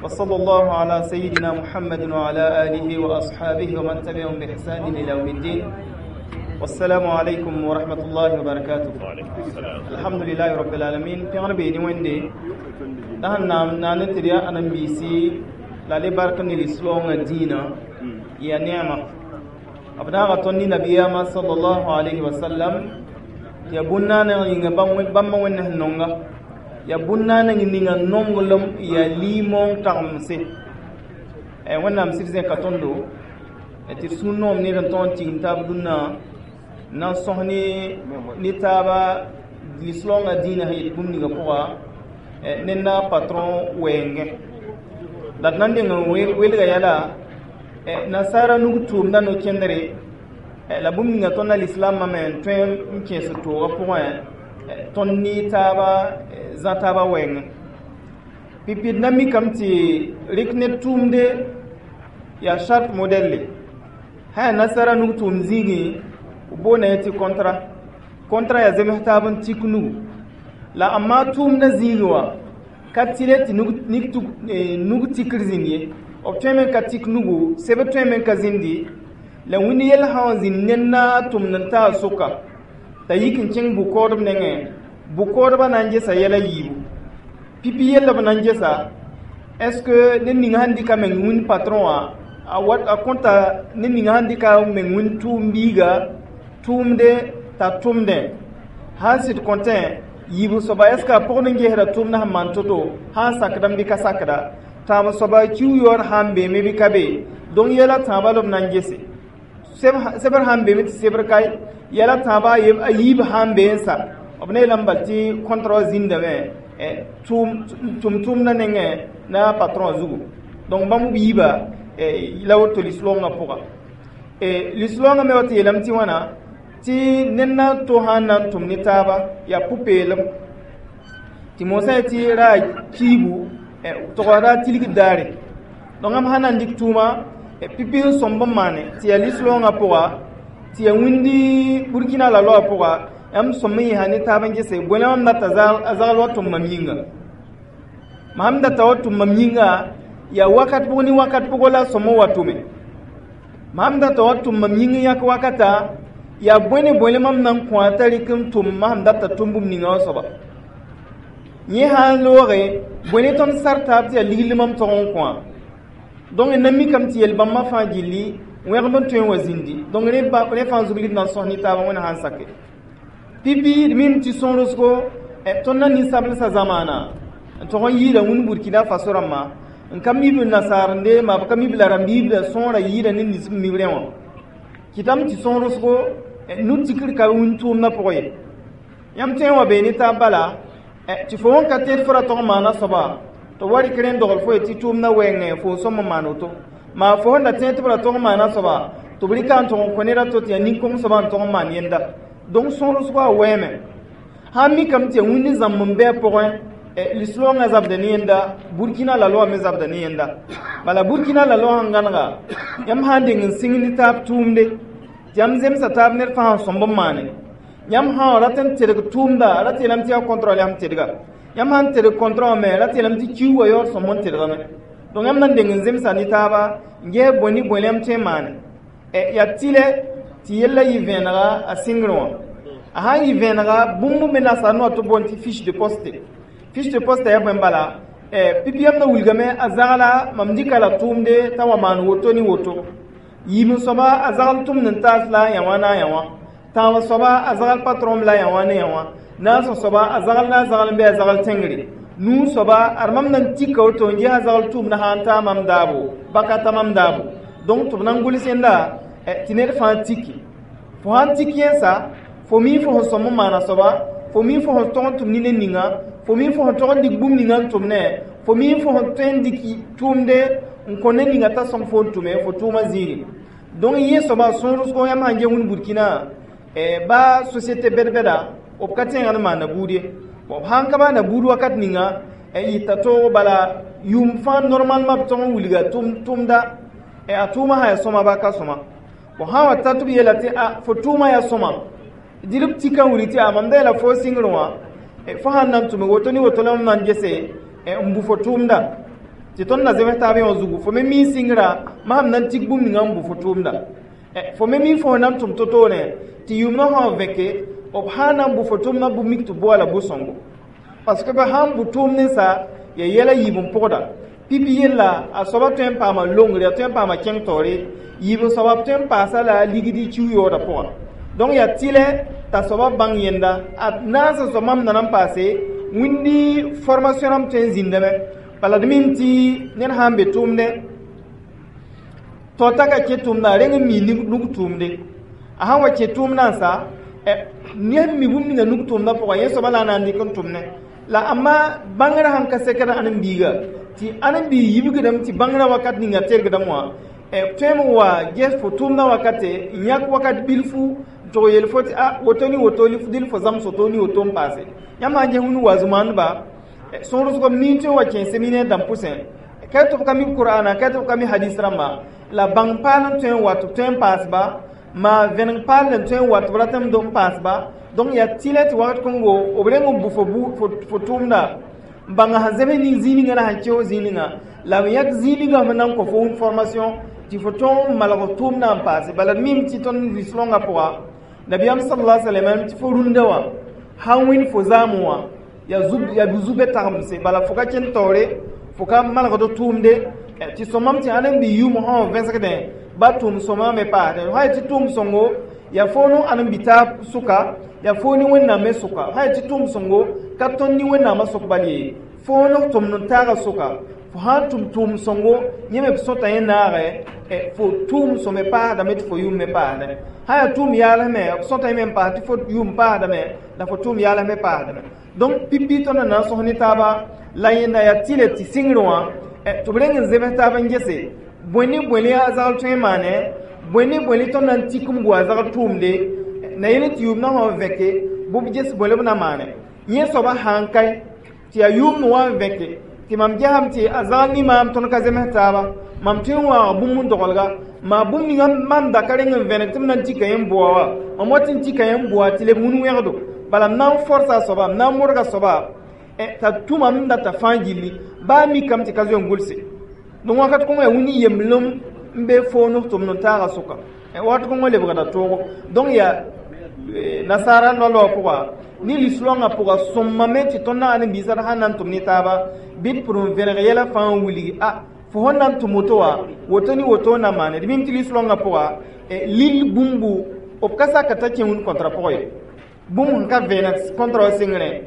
وصلى الله على سيدنا محمد وعلى آله وأصحابه ومن تبعهم بإحسان إلى يوم الدين. والسلام عليكم ورحمة الله وبركاته. وعليكم السلام. الحمد لله رب العالمين. Pẽgr bee ne Wẽnde la sẽn na ne tɩ d yaa ãdem-biisi la le bark ne lislaoongã dĩinã yaa neema b daaga tõnd ne nabiyaamã sallallahu alayhi wa sallam tɩ yaa bũn-naaneg yĩnga bãmba Wẽnd sẽn nonga yaa bũn-naaneg ninga nonglem yaa liimoong tagemse. Wẽnnaam sɩd zẽka tõndo tɩ d sũur noom ned n tõog n tigim taab dũnna na n sõs ne taaba lislaoongã dĩinã sẽn yet bũmb ninga pʋga ned na patron wɛɛngẽ la d na n deng n welga yɛla nasaara nug tʋʋmda no-kẽndre la bũmb ninga tõnd na lislaambã me n tõe n kẽes toogã pʋgẽ tõnd ne taaba zã taaba wɛɛngẽ. Pipi d na mikame tɩ rɩk ned tʋʋmde yaa charte modèle sã yaa nasara nug tʋʋm zĩigẽ b boonda yẽ tɩ contrat. Contrat yaa zems taab n tik nugu la amma tʋʋmdã zĩigẽ wã ka tɩle tɩ nug tikr zĩnd ye. B tõeme n ka tik nugu, sebr tõeme n ka zĩndi la wĩnd yell sã wã zĩnd ned na tʋmd n taa sʋka t'a yik n kẽng bʋ-koodb nengẽ. Bʋ-koodbã na n gesa yɛla yiibu pipi yella b na n gesa est ce que ned ning sãn dɩka meng wĩnd patron wã a wat a kõta ned ning sãn dɩka meng wĩnd tʋʋm biiga tʋʋmde t'a tʋmdẽ sãn sɩd kõtẽ yiib soaba est ce que a pʋgd n gesda tʋʋmdã sẽn maan to-to sãn sakdame bɩ ka sakda tãab soaba kiu yaoor sãn beeme bɩ ka be. Donc yɛla tãabã la b na n gese sebr sãn beeme tɩ sebr ka yɛla tãabã a yiib sãn bee n sa b ne yeelame bal tɩ contrat zĩndame tʋm-tʋmdã nengẽ na patron zugu. Donc bãmb b yiiba la woto lislaoongã pʋga. Lislaoongã me wa tɩ yeelame tɩ wãna tɩ ned na n to sãn na n tʋm ne taaba yaa pʋ-peelem tɩ moosã ye tɩ ra kiibu tʋga ra tilgd daare. Donc ãmb sã na n dɩk tʋʋma pipi n sõmb n maane tɩ yaa lislaoongã pʋga tɩ yaa wĩndi Burkina la loa pʋga yãmb sõm n yẽsa ne taab n gese bõe mam data a zagl wa tʋm mam yĩnga mam data wa tʋm mam yĩnga yaa wakat pʋg ne wakat pʋgɔ la sõm n wa tʋme mam data wa tʋm mam yĩng n yãk wakata yaa bõe ne bõe mam na n kõ t'a rɩk n tʋm mam data tʋm bũmb ninga wã soaba yẽ sã n looge bõe ne tõnd sar taab tɩ yaa ligl mam tog n kõ. Donc n na mikame tɩ yel-bãmbã fãa gilli wẽgb n tõe n wa zĩndi. Donc rẽ fãa zug d na n sõs ne taabã Wẽnd sã n sake. Pipi d mim tɩ sõorosgo tõnd na ninsablsã zamaana n tog n yɩɩda wĩnd Burkina Faso rãmbã n ka mib nasaarende ma b ka mib la rãmb-biibda sõora yɩɩda ne nins b mib rẽ wã kɩtame tɩ sõorosgo nu-tikr ka wĩnd tʋʋmdã pʋgẽ ye. Yãmb tõe n wa bee ne taab bala tɩ fo wẽn ka tẽed fo ra tog n maana soaba tɩ wa rɩk rẽnd dogl fo ye tɩ tʋʋmdã wɛɛngẽ fo sõm n maan woto maa fo sẽn da tẽed tɩ b ra tog n maana soaba tɩ b rɩka n tog n kõ ned a to tɩ yaa nin-kõng soaba n tog n maan yẽnda. Donc sõorosgo a wɛɛme sãn mikame tɩ yaa wĩnd zãmb n bɩ a pʋgẽ lislaoongã zabda ne yẽnda Burkina la loa me zabda ne yẽnda bala Burkina la loa sẽn gãnega yãmb sã n deng n sɩng ne taab tʋʋmde tɩ yãmb zemsa taab ned fãa sẽn sõmb n maane yãmb sã rat n tedg tʋʋmda rat yeelame tɩ yaa contrôle yãmb tedga yãmb sãn tedg contrat wã me rat yeelame tɩ kiu wa yaood sõmb n tedgame. Donc yãmb na n deng n zemsa ne taaba n ges bõe ne bõe yãmb tõe n maane yaa tɩlɛ tɩ yella yɩ vẽenega a sɩngr wã a sãn yɩ vẽenega bũmb me nasaar noa tɩ boond tɩ fiche de poste. Fiche de poste yaa bõe bala pipi yãmb na wilgame a zagla mam dɩka la tʋʋmde t'a wa maan woto ne woto yiib n soaba a zagl tʋmd n taas la yã wã na yã wã tãab soaba a zagl patron la yã wã ne yã wã naas soaba a zagl na a zagl n bɩ a zagl tẽngre nuu soaba ad mam na n tika woto n ges a zagl tʋʋmdã sã n taa mam daabo baka ta mam daabo. Donc tɩ b na n gʋls yẽnda tɩ ned fãa tiki fo sãn tik yẽnsa fo mi fo sẽn sõm n maana soaba fo mi fo sẽn tog n tʋm ne ned ninga fo mi fo sẽn tog n dɩk bũmb ninga n tʋm ne fo mi fo sẽn tõe n dɩk tʋʋmde n kõ ned ninga t'a sõm fo n tʋme fo tʋʋmã zĩigẽ. Donc yẽ soaba sõorosgo yãmb sãn ge wĩnd Burkina ba société bɛd-bɛda b ka tẽegd n maana buud ye b sãn ka maana buud wakat ninga yɩta toog bala yʋʋm fãa normalement b tog n wilga tʋmda a tʋʋmã sã yaa sõma ba ka sõma bon sã wa ta tɩ b yeela tɩ a fo tʋʋmã yaa sõma dɩl b tika n wilg tɩ a mam da yeela fo sɩngr wã fo sãn na n tʋme woto ne woto la mam na n gese n bu fo tʋʋmda. Tɩ tõnd na zems taab yã wã zugu, fo me mi sɩngrã masem na n tik bũmb ninga n bʋ fo tʋʋmda. Fo me mi fo na n tʋm to-toore tɩ yʋʋmdã sã vẽke, b sã n na n bʋ fo tʋʋmdã bʋ mik tɩ boa la bu-sõngo, parce que b sã n bʋ tʋʋm ninsa ya yɛla yiib n pʋgda. Pipi yella a soaba tõe n paama longre, a tõe n paama kẽng taoore, yiib n soaba tõe n paasa la ligd kiu yaoodã pʋgã. Donc yaa tɩlɛ t'a soaba bãng yẽnda a naas n soab mam na n paase wĩndi formation rãmb tõe n zĩndame. Bala d mim tɩ ned sã n be tʋʋmdẽ tao t'a ka kẽ tʋʋmdã, a reng n mi nug tʋʋmde. A sãn wa kẽ tʋʋmdã n sa ned mi bũmb ninga nug tʋʋmdã pʋga, yẽ soaba la a na n dɩk n tʋmne la amma bãngrã sãn ka sekd ãnen-biiga tɩ ãnen-biig yibgdame tɩ bãngrã wakat ninga tergdame wã tõeme wa ges fo tʋʋmdã wakate n yãk wakat bilfu n tog yel fo tɩ a woto ne woto dɩl fo zãms woto ne woto n paase. Yãmb sãn ges wĩnd wa zũmaandba sõor-sgb nin tõe n wa kẽ séminaire dãmb pʋsẽ, ka tɩ b ka mi Qur'ana, ka tɩ b ka mi hadis rãmba, la bãng paal n tõe n wa tɩ b tõe n paasba, ma vẽneg paal n tõe n wa tɩ b ratame n paasba. Donc yaa tɩlɛ tɩ wakat kõngo b reng n bʋ fo tʋʋmda n bãnga sẽn zems ning zĩig ninga la sẽn kẽo zĩig ninga, la b yãk zĩig ninga sẽn na n kõ fo formation tɩ fo tõog n malg tʋʋmdã n paase. Bala d mim tɩ tõnd lislõngã pʋga, nabiyaam sallallahu alaihi wasallam tɩ fo rũndã wã sãn wĩnd fo zaamẽ wã ya zu-be tagmse, bala fo ka kẽnd taoore, fo ka malgd tʋʋmde tɩ sõmam tɩ ãnen-bi yʋʋm sã wã vẽsgdẽ ba tʋʋm sõma me paasdẽ. Sã tɩ tʋʋm sõngo yaa fo no ãnen-bi taab sʋka, yaa fo ne Wẽnnaam me sʋka. Sã tɩ tʋʋm sõngo ka tõnd ne Wẽnnaamã sʋk bal ye, fo no tʋmd n taaga sʋka. Fo sã n tʋm tʋʋm sõngo, yẽ me b sõta yẽ naagɛ fo tʋʋm sõme paasdame tɩ fo yʋʋm me paasdame. Sã yaa tʋʋm yaalsmɛ, b sõta yẽ me n paas tɩ fo yʋʋm paasdame, la fo tʋʋm yaals me paasdame. Donc pipi tõnd na n sõs ne taaba la yẽnda yaa tɩlɛ tɩ sɩngr wã tɩ b reng n zems taab n gese bõe ne bõe a zagl tõe n maane, bõe ne bõe tõnd na n tik n bʋ a zagl tʋʋmde na yel tɩ yʋʋmdã sã n vẽke bʋ b ges bõe b na maane. Yẽ soaba sãn kae tɩ yaa yʋʋmd wã n vẽke tɩ mam gesame tɩ a zagl ne maam tõnd ka zems taaba, mam tõe n waag bũmb n dogelga maa bũmb ninga mam da ka reng n vẽneg tɩ m na n tika yẽ n bʋa wa, mam wat n tika yẽ n bʋa tɩ leb wĩn wẽgdo. Bala m na n forsa a soaba, m na n modga soaba t'a tʋmam n data fãa gilli baa mikame tɩ ka zoe n gʋlse. Donc wakat kõngo yaa wĩnd yemblem n be fo no tʋmd n taaga sʋka, wakat kõngo lebgda toogo. Donc yaa nasaara noa pʋga ne lislõngã pʋga sõmame tɩ tõnd na ãnen-biisã sãn na n tʋm ne taaba bɩ d pʋr n vẽneg yɛla fãa n wilgi a fo sẽn na n tʋm woto wã, woto ne woto na maane. D mim tɩ lislõngã pʋga lil bũmbu b ka saka t'a kẽ wĩnd contrat pʋgã ye, bũmb sẽn ka vẽeneg contrat wã sengrẽ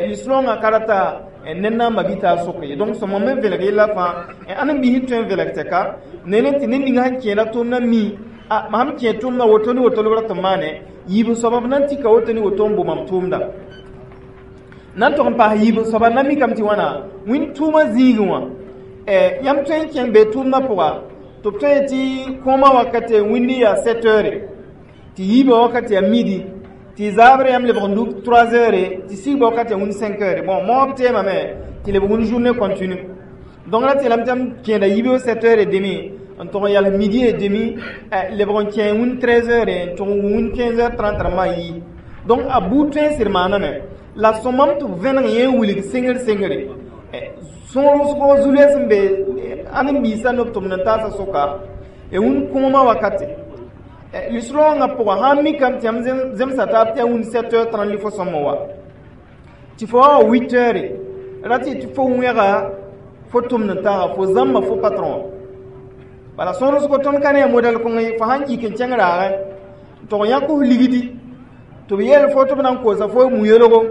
lislõngã ka rata ned na n ma-bi-taab sʋk ye. Donc sõma me vẽneg yella fãa ãnen-biis tõe n vẽneg tɛka ne ne tɩ ned ninga sẽn kẽeda tʋʋmdã mi a mam kẽ tʋʋmdã woto ne woto la b rat n maane, yiib n soaba b na n tika woto ne woto n bʋ mam tʋʋmda na n tog n paas. Yiib n soaba na mikame tɩ wãna wĩnd tʋʋmã zĩigẽ wã yãmb tõe n kẽng be tʋʋmdã pʋga tɩ b tõe tɩ kõomã wakate wĩndi yaa 7 heures, tɩ yiibã wakat yaa midi, tɩ zaabrã yãmb lebg n duk 3 heures, tɩ sigba wakat yaa wĩnd 5 heures. Bon, moab teemame tɩ lebg wĩnd journée continue. Donc ra tɩ yeelame tɩ m kẽeda yiibg 7 heures et demi n tog n yals midi et demi, lebg n kẽ wĩnd 13 heures n tog n wĩnd 15 heures 30 rãmbã n yi. Donc a buud tõe n sɩd maaname la sõmam tɩ b vẽneg yẽ n wilg sengr sengre sõor zu-loees sẽn be ãnen-biisã ne b tʋmd n taasã sʋka wĩnd kõomã wakate. Lislõngã pʋga sãn mikame tɩ yãmb zemsa taab tɩ yaa wĩnd 7 heures 30 li fo sõm wa tɩ fo wa 8 heures ra tɩ fo wẽga fo tʋmd n taaga fo zãmba fo patron wã. Bala sõorsgo tõnd ka ne a modɛl kõng ye, fo sãn yik n kẽng raagẽ n tog yãk f ligdi tɩ b yeel fo tɩ b na n koosa fo mu-yolgo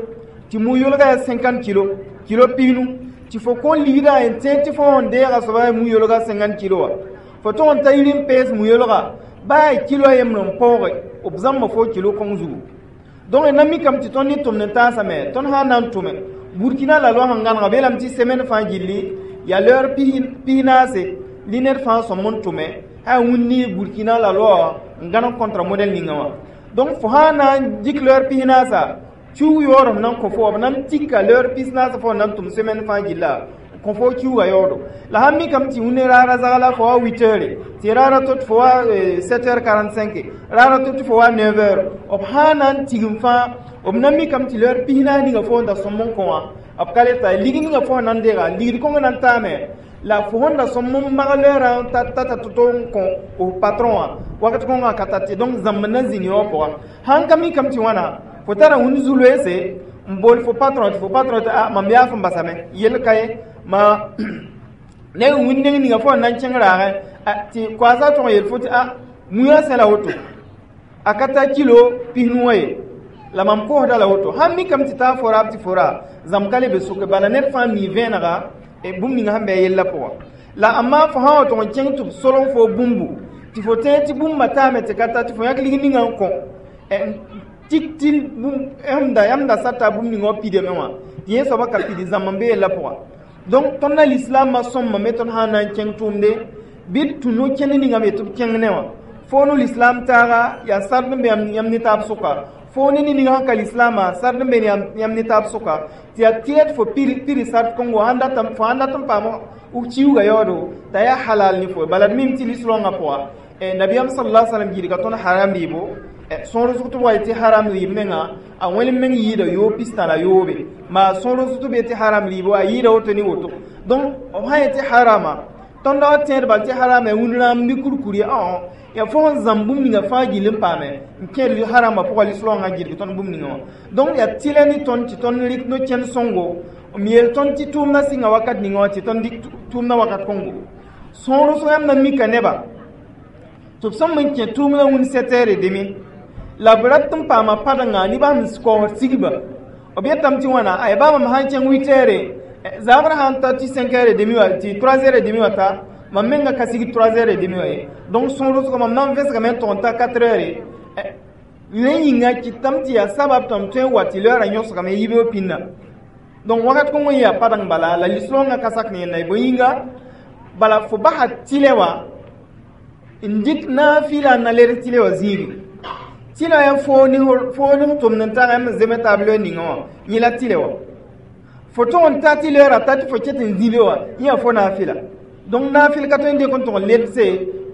tɩ mu-yolga yaa 50 kilo, kilo pinu, tɩ fo kõ ligdã n tẽeg tɩ fo n deega soaba mu-yolga 50 kilo wã, fo tog n ta yir n pees mu-yolga baa yaa kilo a yembr n paooge, b zãmba fo kilo kõng zugu. Donc na mikame tɩ tõnd ne tʋmd n taasame, tõnd sã n na n tʋme Burkina la loa sẽn gãnega beelame tɩ semaine fãa gilli yaa l'heure pis-naase li ned fãa sõm n tʋme yaa wĩndi Burkina la loa n gãneg contrat modèle ninga wã. Donc fo sã n na n dɩk l'heure pis-naasa kiug yaood f na n kõ fo, b na n tika l'heure pis-naasa fo na n tʋm semaine fãa gilla kõ fo kiuga yaoodo. La sãn mikame tɩ wĩnd raara zagla fo wa 8 heures, tɩ raara to tɩ fo wa 7 heures 45, raara to tɩ fo wa 9 heures, b sã n na n tigim fãa b na mikame tɩ l'heure pis-naas ninga fo n da sõm n kõ wã, b ka le ta lig ninga fo na n deega ligd kõng na n taame. La fo sẽn da sõm n mag leerã tata to-to n kõ f patron wã wakat kõngã ka tat ye. Donc zãmb na zĩni wã pʋga sãn ka mikame tɩ wãna fo tara wĩnd zu-loeese n bool fo patron tɩ fo patron tɩ a mam yaaf n basame yell ka ye ma ne wĩnd neng ninga fo na n kẽng raagẽ tɩ koaasa tõg n yel fo tɩ a mũyã sẽ la woto a ka ta kilo 90 wã ye la mam koosda la woto. Sãn mikame tɩ taa fo raab tɩ fo ra zãmb ka le be soke bala ned fãa mi vẽenega bũmb ninga sẽn bɩ a yellã pʋga. La amma fo sã wa tʋg n kẽng tɩ b solg fo bũmbu tɩ fo tẽeg tɩ bũmba taame tɩ ka ta tɩ fo yãk lig ninga n kõ tik tɩ yãmb da sata bũmb ninga wã pidame wã tɩ yẽ soaba ka pidi zãmb n be yellã pʋga. Donc tõnd na lislaamã sõmbame tõnd sã n na n kẽng tʋʋmde bɩ d tũ no-kẽnd ninga me tɩ b kẽng ne wã fo no lislaam taaga yaa sard n be yãmb ne taab sʋka fo ne ne ninga sẽn ka lislaamã sard n be yãmb ne taab sʋka tɩ yaa tɩ fo piri sard kõngo fo sãn dat n paam f kiuuga yaoodo t'a yaa halal ne fo. Bala d mim tɩ lislaongã pʋga nabiyam sallallahu alaihi wasallam gɩdga tõnd haram rɩɩbo sõor zʋg tɩ b wa tɩ haram rɩɩb menga a wẽl meng yɩɩda yoob 63 maa sõor zʋg tɩ b tɩ haram rɩɩbo a yɩɩda woto ne woto. Donc b sã yetɩ harama tõnd wa tẽed bal tɩ harama ya wĩnd rãamb bɩ kurkur ye yaa fo sẽn zãmb bũmb ninga fãa gill n paame n kẽed harama pʋga lislaongã gɩdg tõnd bũmb ninga wã. Donc yaa tɩlɛ ne tõnd tɩ tõnd rɩk no-kẽnd sõngo m yeel tõnd tɩ tʋʋmdã sɩnga wakat ninga wã tɩ tõnd dɩk tʋʋmdã wakat kõngo sõor sõ yãmb na mika neba tɩ b sõm n kẽ tʋʋmdã wĩnd 7h30 la b rat n paama padengã nebã sẽn kaoosd sigba b yetame tɩ wãna ay baa mam sãn kẽng 8 heure zabrã sãn ta tɩ 5h30 wã tɩ 3h30 wã ta mam menga ka sig 3h30 wã ye. Donc sõor sʋka mam na n vẽsgame n tʋg n ta 4 heure rẽ yĩnga kɩtame tɩ yaa sabab tɩ m tõe n wa tɩ leoorã yõsgame yibeoog pĩnda. Donc wakat kõng n yaa padeng bala la lislaongã ka sak ne yẽnda ye bõe yĩnga bala fo basa tɩlɛ wã n dɩk naafɩla n na led tɩlɛ wã zĩigi tɩlɛ yaa foo ne f tʋmd n tag yãmb n zeme taab loe ninga wã yẽ la tɩlɛ wã fo tõg n ta tɩ leoorã ta tɩ fo ket n zĩbe wã yẽ yaa fo naafɩla. Donc naafɩl ka tõe n dɩk n tʋg n ledse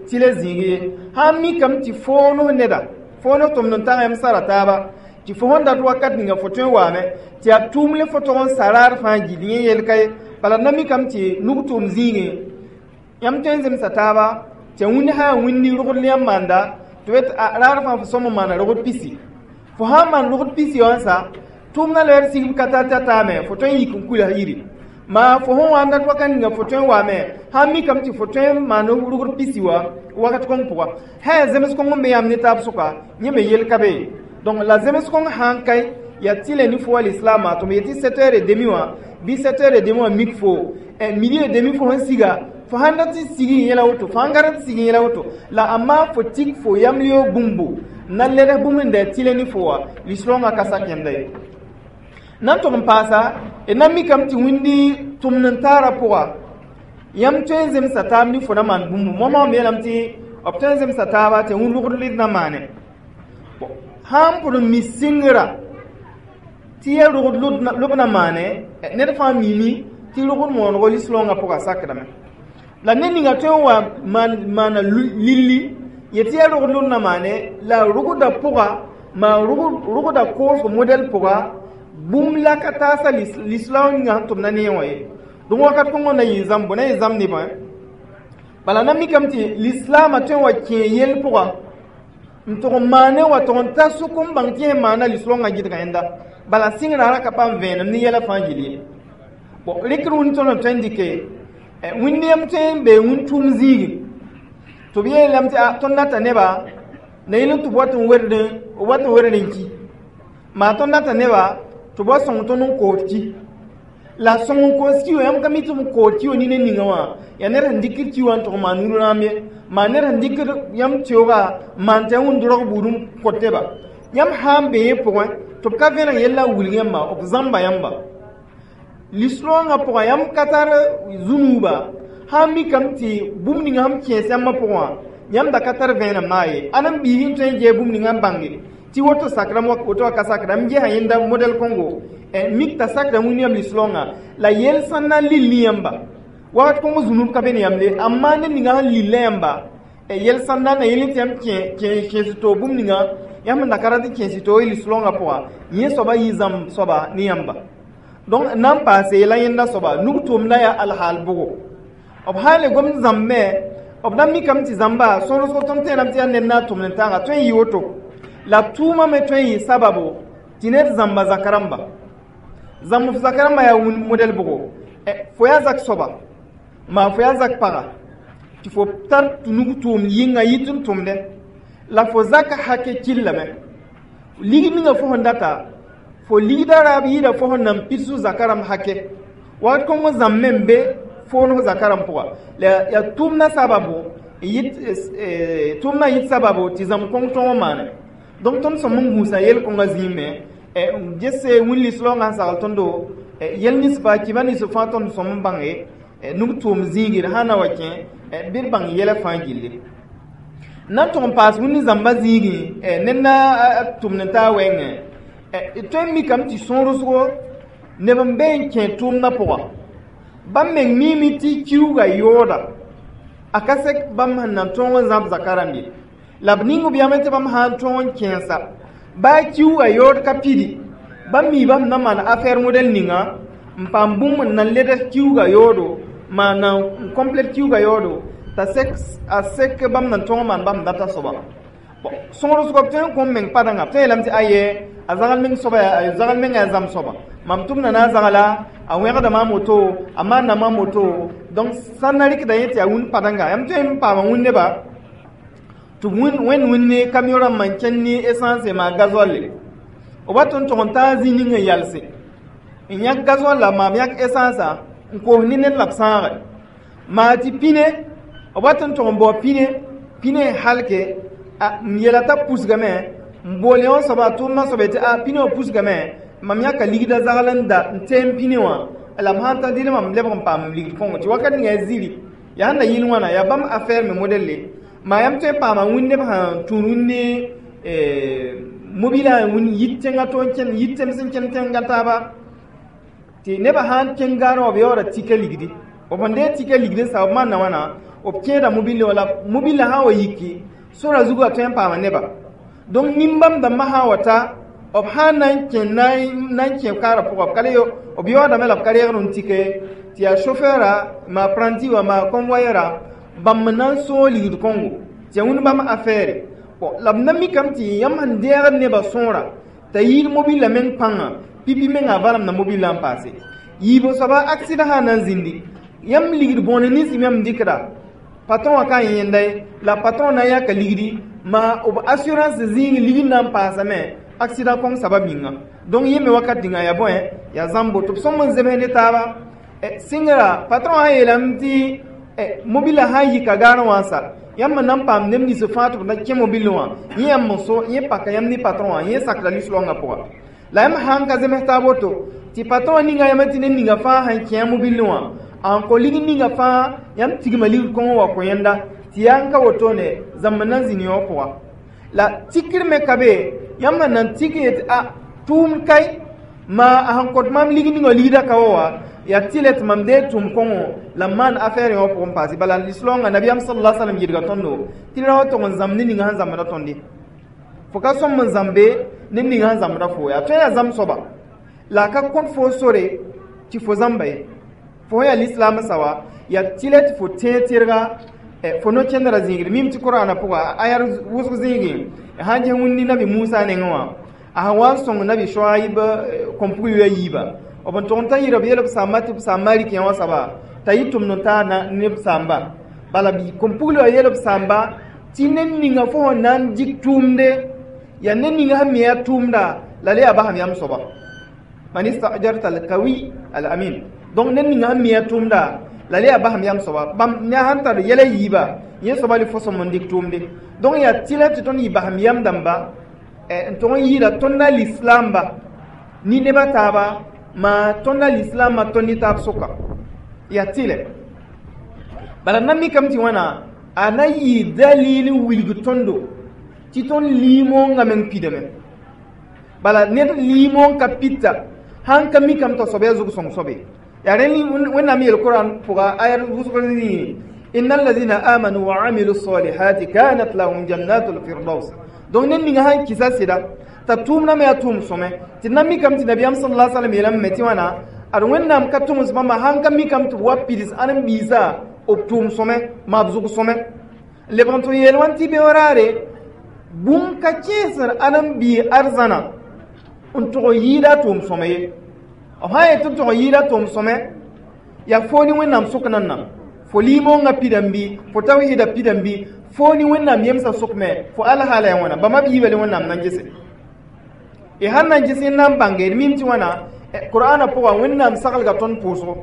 tɩlɛ zĩig ye sãn mikame tɩ foo ne neda foo ne tʋmd n tag yãmb sara taaba tɩ fo sẽn dat wakat ninga fo tõe n waame tɩ yaa tʋʋm le fo tʋg n sa raar fãa gill yẽ yel ka ye. Bala d na mikame tɩ nug tʋʋm zĩigẽ yãmb tõe n zemsa taaba tɩ wĩnd sã yaa wĩndi rogd yãmb maanda tɩ b raar fãa fo sõm n maana rogd pisi fo sãn maan rogd pisi wã sa tʋʋmdã leer sigb ka ta ta taame fo tõe n yik n kuila yiri maa fo sẽn wa n dat wakat ninga fo tõe n waame sãn mikame tɩ fo tõe n maan rogd pisi wã wakat kõng pʋga sã yaa zems kõng n be yãmb ne taab sʋka yẽ me yel ka be. Donc la zems kõng sãn kae yaa tɩlɛ ne fo wa lislaamã tɩ m yetɩ 7h30 wã bɩ 7h30 wã mik fo midi et demi fo sẽn siga fo sãn dat n sig n yẽla woto fo sãn ka rat sig n yẽla woto la amma fo tik fo yamleo bũmbu na led bũmb n da tɩlɛ ne fo wã lislaongã ka sak yẽnda ye. Na n tʋg n paasa d na mikame tɩ wĩndi tʋmd n taarã pʋga yãmb tõe n zemsa taab ne fo na maan bũmbu moasã m yeelame tɩ b tõe n zemsa taaba tɩ wĩnd rogd led na maane sãn pʋd n mi sɩngrã tɩ yaa rogd lob na maane ned fãa mimi tɩ rogd moongo lislaongã pʋga sakdame la ned ninga tõe n wa maana lilli yetɩ yaa rogd lob na maane la rogda pʋga maa rogda koosg modɛl pʋga bũmb la ka taasa lislaong ninga sẽn tʋmda ne wã ye. Donc wakat kõngõ na yɩ zãmbo na yɩ zãmb nebã bala na mikame tɩ lislaamã tõe n wa kẽ yell pʋga n tʋg n maane wa tʋg n ta sʋk n bãng tɩ yẽ maana lislaongã gɩdga yẽnda bala sɩngrã ra ka paam vẽenem ne yɛla fãa gill ye. Bon rɩkr wĩnd tõnd n tõe n dɩke wĩnd yãmb tõe n bee wĩnd tʋʋm zĩigi tɩ b yeelame tɩ tõnd data neba na yɩl tɩ b wat n werd n ki maa tõnd data neba tɩ b wa sõng tõnd n kood ki la sõng n koos ki wã yãmb ka mi tɩ b kood ki wã nina ninga wã yaa ned sẽn dɩkd ki wã n tʋg maan rũm ye maa ned sẽn dɩkd yãmb teooga maan tɩ wĩnd rog buud n kõteba yãmb sã n be yẽ pʋgẽ tɩ b ka vẽneg yella wilg yãmba b zãmba yãmba lislaongã pʋgã yãmb ka tar zũnuuba sãn mikame tɩ bũmb ninga sẽn kẽes yãmbã pʋgẽ wã yãmb da ka tar vẽenem naa ye ãn n biis n tõe n gee bũmb ninga n bãnge tɩ woto sakrame woto wa ka sakra m gesa yẽnda modɛl kõngo mik t'a sakra wĩnd yãmb lislaongã la yel sẽn na n lill ne yãmba wakat kõng zũnub ka be ne yãmb ye amma ned ninga sẽn lilla yãmba yel sẽn na na yel tɩ yãmb kẽes to bũmb ninga yãmb sẽn da ka rat n kẽes to lislaongã pʋga yẽ soaba yɩ zãmb soaba ne yãmba. Donc nan paase yɛla yẽnda soaba nug tʋʋmda yaa alhaal bʋgo B sã n le gomd zãmb me, b na mikame tɩ zãmba sõrsgo tõnd tẽedame tɩ yaa ned na n tʋmd n taaga tõe n yɩ woto. La tʋʋmã me tõe n yɩ sababo tɩ ned zãmba zak rãmba. Zãmb f zak rãmbã yaa wũnd modɛl bʋgo? Fo yaa zak soaba, maa fo yaa zak paga tɩ fo tar nug tʋʋmd yĩnga yit n tʋmdẽ la fo zaka hake killame. Ligd ninga fo sẽn data, fo ligda raab yɩɩda fo sẽn nan pids zaka rãmb hake. Wakat kõng zãmb me n be foon f zaka rãmb pʋga. La yaa tʋʋmdã sababo yɩt, tʋʋmdã yɩt sababo tɩ zãmb kõng tõog n maane. Donc tõnd sõm n gũusa yel-kõngã zĩig me gese wĩn lis-raoongã sẽn sagl tõndo yɛl nins fãa, kɩba nins fãa tõnd sõm n bãnge nug tʋʋm zĩigr sã na wa kẽ bɩ d bãng yɛla fãa gilli. Na n tʋg n paas wĩnni zãmba zĩigẽ ned na tʋmd n taa wɛɛngẽ, d tõe n mikame tɩ sõorsgo neb n be n kẽ tʋʋmdã pʋga, bãmb meng miime tɩ kiuuga yooda a ka sek bãmb sẽn na n tõog n zãb zaka rãmb ye. La b ning b yame tɩ bãmb sã n tõog n kẽensa baa kiuuga yood ka pidi, bãmb mi bãmb na maan affaire modɛl ninga n paam bũmb n na n ledg kiuuga yoodo, maan na n complète kiuuga yoodo t'a sek a sek bãmb na n tõog n maan bãmb data soaba. Bon, sõorsgo b tõe n kõm meng padãnga, b tõe n yeelame tɩ aye, a zagl meng soaba, a zagl mengã yaa zãmb soaba, mam tʋmda na a zagla, a wẽgda maam woto, a maanda maam woto. Donc sã n na rɩkda yẽ tɩ yaa wũnd padãnga, yãmb tõe n paama wĩnd neba tɩ b wẽnd wĩnd ne camion rãmbã n kẽnd ne essence maa gasoil b wat n tʋg n taa zĩ ning n yalse n yãk gasoil la maam yãk essence n koos ne ned la b sãage maa tɩ pine b wat n tʋg n bao pine, pine n halke n yeela t'a pusgame n bool yõ soaba, a tʋʋmdã soaba tɩ a pine wã pusgame, mam yãka ligda zagl n da n teem pine wã la m sãn ta dɩd mam lebg n paam m ligd kõngo tɩ wakat ninga yaa ziri yaa sẽn na yɩl wãna yaa bãmb affaire me modɛlle. Maa yãmb tõe n paama wĩnd neb sẽn tũud wĩnd ne mobilã wĩnd yit tẽngã to n kẽnd yit tems n kẽnd tẽngã taaba tɩ nebã sã n kẽng gaarẽ wã b yaooda tika ligdi, b sẽn deeg tika ligd n sa b maanda wãna b kẽeda mobile wã la mobilã sã n wa yiki sora zugu a tõe n paama neba. Donc nin-bãmb dãmbã sã n wa ta b sã n na n kẽ na n kẽ kaarã pʋga b ka le b yaoodame la b ka reegd n tike tɩ yaa chauffeura ma apprenti wã ma convoyeura bãmb na n sõog ligd kõngo tɩ yaa wĩnd bãmb affaire. Bon, la b na mikame tɩ yãmb sẽn deegd nebã sõora t'a yɩɩd mobilã meng pãnga pipi mengã a valemda mobilã n paase yiib soaba accident sã n na n zĩndi yãmb ligd bõone nins yãmb dɩkda patron wã ka yẽnda ye la patron na n yãka ligdi ma b assurance zĩig ligd na n paasame accident kõng sabab yĩnga. Donc yẽ me wakat ninga yaa bõe yaa zãmbo tɩ b sõm n zems ne taaba sɩngra patron sã yeelame tɩ mobilã sã n yika gaarẽ wã n sa yãmb na n paam neb nins fãa tɩ b na kẽ mobil wã yẽ yãmb n so yẽ paka yãmb ne patron wã yẽ sakda lis-raoongã pʋga. La yãmb sã n ka zems taab woto tɩ patron ninga yãmb tɩ ned ninga fãa sẽn kẽ a mobil wã n kõ ligd ninga fãa yãmb tigma ligd kõng wa kõ yẽnda tɩ yaa n ka wotone zãmb na n zĩni wã pʋga. La tikr me ka be yãmb sẽn na n tik yetɩ a tʋʋmd kae ma a sẽn kõt maam ligd ninga ligda ka wa wa yaa tɩlɛ tɩ mam deeg tʋʋm kõngo la m maan affaire yõ pʋgẽ paase. Bala lislaoongã nabiyaam sallallahu alaihi wasallam yidga tõndo tɩ ra wa tʋg n zãmb ne ninga sẽn zãmbda tõndi fo ka sõm n zãmbe ne ninga sẽn zãmbda fo yaa tõe yaa zãmb soaba la a ka kõt fo sore tɩ fo zãmba ye fo yaa lislaam sawa yaa tɩlɛ tɩ fo tẽeg tɩrga fo no-kẽndrã zĩigre mim tɩ Korãna pʋga a yaa wʋsg zĩigẽ sãn ges wĩndi nabi Musa nengẽ wã a sẽn wa n sõng nabi Shoaib kõn-pug yoa yiiba b n tʋg n ta yɩɩra b yeel b samba tɩ b samba rɩk yã wã soaba t'a yɩ tʋmd n taa ne b samba bala kõn-pugl wã yeel b samba tɩ ned ninga fo sẽn na n dɩk tʋʋmde yaa ned ninga sẽn me yaa tʋʋmda la le yaa basam yãmb soaba man istajarta alkawi alamin. Donc ned ninga sẽn me yaa tʋʋmda la le yaa basam yãmb soaba bãmb ne sãn tar yɛla yiiba yẽ soaba le fo sõm n dɩk tʋʋmde. Donc yaa tɩlɛ tɩ tõnd yɩ basam yam dãmba n tʋg n yɩɩda tõnda lislaamba ni nebã taaba ma tõnda lislaambã tõnd ne taab sʋka yaa tɩlɛ. Bala na mikame tɩ wãna a na yɩ dalil n wilg tõndo tɩ tõnd liimoongã meng pidame. Bala ned liimoong ka pita sãn ka mikame t'a soab yaa zug-sõng soabe yaa rẽ Wẽnnaam yeel Koran pʋga aya wʋsg zĩigẽ inna alladhina amanu wa amilu salihati kanat lahum jannatul firdaus. Donc ned ninga sãn kɩsa sɩda t'a tʋʋmdã me yaa tʋʋm sõme tɩ na mikame tɩ nabiyaam sallallahu alaihi wasallam yeelame me tɩ wãna ad Wẽnnaam ka tʋms bãmba sãn ka mikame tɩ b wa pids ãdem-biisã B tʋʋm sõme maa b zʋg sõme lebg n tɩ yeel wãn tɩ beoraare bũmb ka kẽesd ãdem-biig arzãna n tʋg n yɩɩda a tʋʋm sõme ye. B sã n yet tɩ b tʋg n yɩɩda tʋʋm sõme, yaa foo ne Wẽnnaam sʋk nanna, fo limongã pidame bɩ fo tawhiida pidame bɩ foo ne Wẽnnaam yemsã sʋk me fo alhaala ya wãna. Bãmba b yiiba le Wẽnnaam na n gese y sãn na n ges n na n bãnge d mim tɩ wãna Qur'ana pʋga Wẽnnaam saglga tõnd pʋʋsgo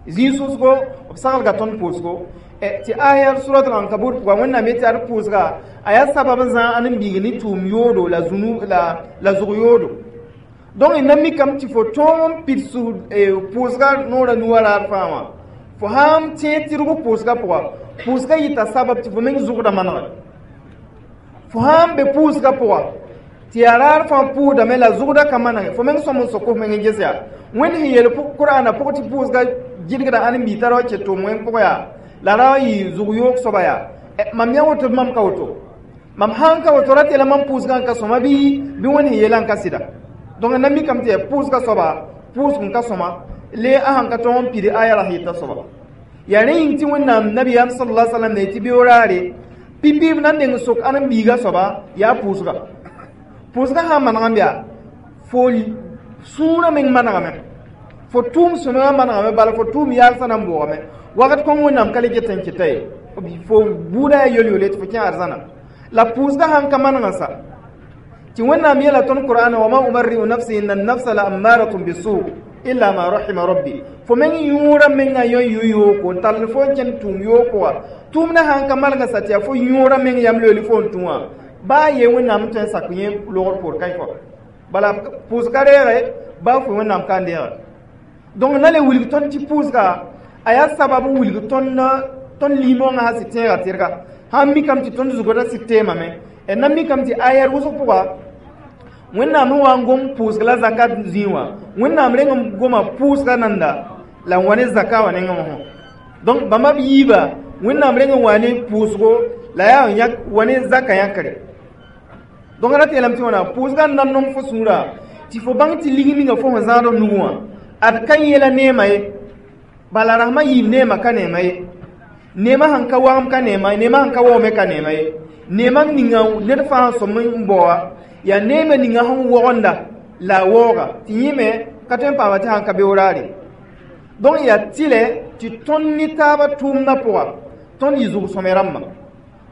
zĩig sʋsgo, b saglga tõnd pʋʋsgo tɩ aya surat al-Ankabut pʋga Wẽnnaam yetɩ ad pʋʋsga a yaa sabab n zãag ãdem-biig ne tʋʋm yoodo la zũnu la zʋg yoodo. Donc y na mikame tɩ fo tõog n pids pʋʋsga noorã nuwã raar fãa wã, fo sãn tẽeg tɩrg pʋʋsga pʋga, pʋʋsga yɩta sabab tɩ fo meng zʋgda manegre. Fo sãn be pʋʋsga pʋga tɩ yaa raar fãa pʋʋsdame la zʋgda ka manege, fo meng sõm n sok f meng n ges yaa Wẽnd sẽn yeel Qur'ana pʋg tɩ pʋʋsga gɩdgda ãdem-biig t'a ra wa ket tʋʋm wẽng pʋgã yaa la ra wa yɩ zʋg yoog soaba yaa mam yã woto bɩ mam ka woto, mam sãn ka woto rat yɛla mam pʋʋsgã n ka sõma bɩ Wẽnd sẽn yeelã n ka sɩda. Donc na mikame tɩ yaa pʋʋsga soaba pʋʋsg n ka sõma le a sãn ka tõog n pid aya ra yeta soaba. Yaa rẽ yĩng tɩ Wẽnnaam nabiyaam sallallahu alaihi wasallam ne tɩ beoraare pipi b na n deng sok ãdem-biigã soaba yaa pʋʋsga. Pʋʋsga sã n manegame yaa fo sũurã meng manegame, fo tʋʋm sõmegã manegame, bala fo tʋʋm yaalsã na n boogame wakat kõn Wẽnnaam ka le get n keta ye, fo buudã yaa yol-yole tɩ fo kẽ arzãna. La pʋʋsga sãn ka manegã sa tɩ Wẽnnaam yeela tõnd Qur'ana wa ma ubarri'u nafsi inna an-nafsa la ammaratun bisu illa ma rahima rabbi. Fo meng yũurã mengã yõ yʋ yooko n tall fo n kẽnd tʋʋm yooko wã, tʋʋmdã sãn ka manegã sa tɩ yaa fo yũurã meng yam loeeli fo n tũ wã baa ye Wẽnnaam n tõe n sak yẽ logr poor kaɩ fo bala pʋʋsga reege baa fo Wẽnnaam ka n deege. Donc na le wilg tõnd tɩ pʋʋsga a yaa sabab n wilg tõnd limongã sã sɩ tẽega tɩrga sãn mikame tɩ tõnd zugdã sɩd teemame. Na mikame tɩ ayɛr wʋsg pʋga Wẽnnaam sẽn wa n gom pʋʋsg la zakat zĩig wã, Wẽnnaam reng n goma pʋʋsga nanda la n wa ne zaka wã nengẽ wã. Donc bãmba b yiiba Wẽnnaam reng n wa ne pʋʋsgo la yaa yãk wa ne zaka yãkre. Donc rat yeelame tɩ wãna pʋʋsga n na n nong fo sũurã tɩ fo bãng tɩ lig ninga fo sẽn zãad f nugẽ wã ad ka yẽla neema ye, bala rasmã yiib neema ka neema ye, neema sẽn ka wagem ka neema ye, neema sẽn ka waoome ka neema ye, neema ninga ned fãa sẽn sõm n baoa yaa neema ninga sẽn wogenda la a waooga tɩ yẽ me ka tõe n paama tɩ sãn ka beoraare. Donc yaa tɩlɛ tɩ tõnd ne taabã tʋʋmdã pʋga tõnd yɩ zug-sõme rãmbã,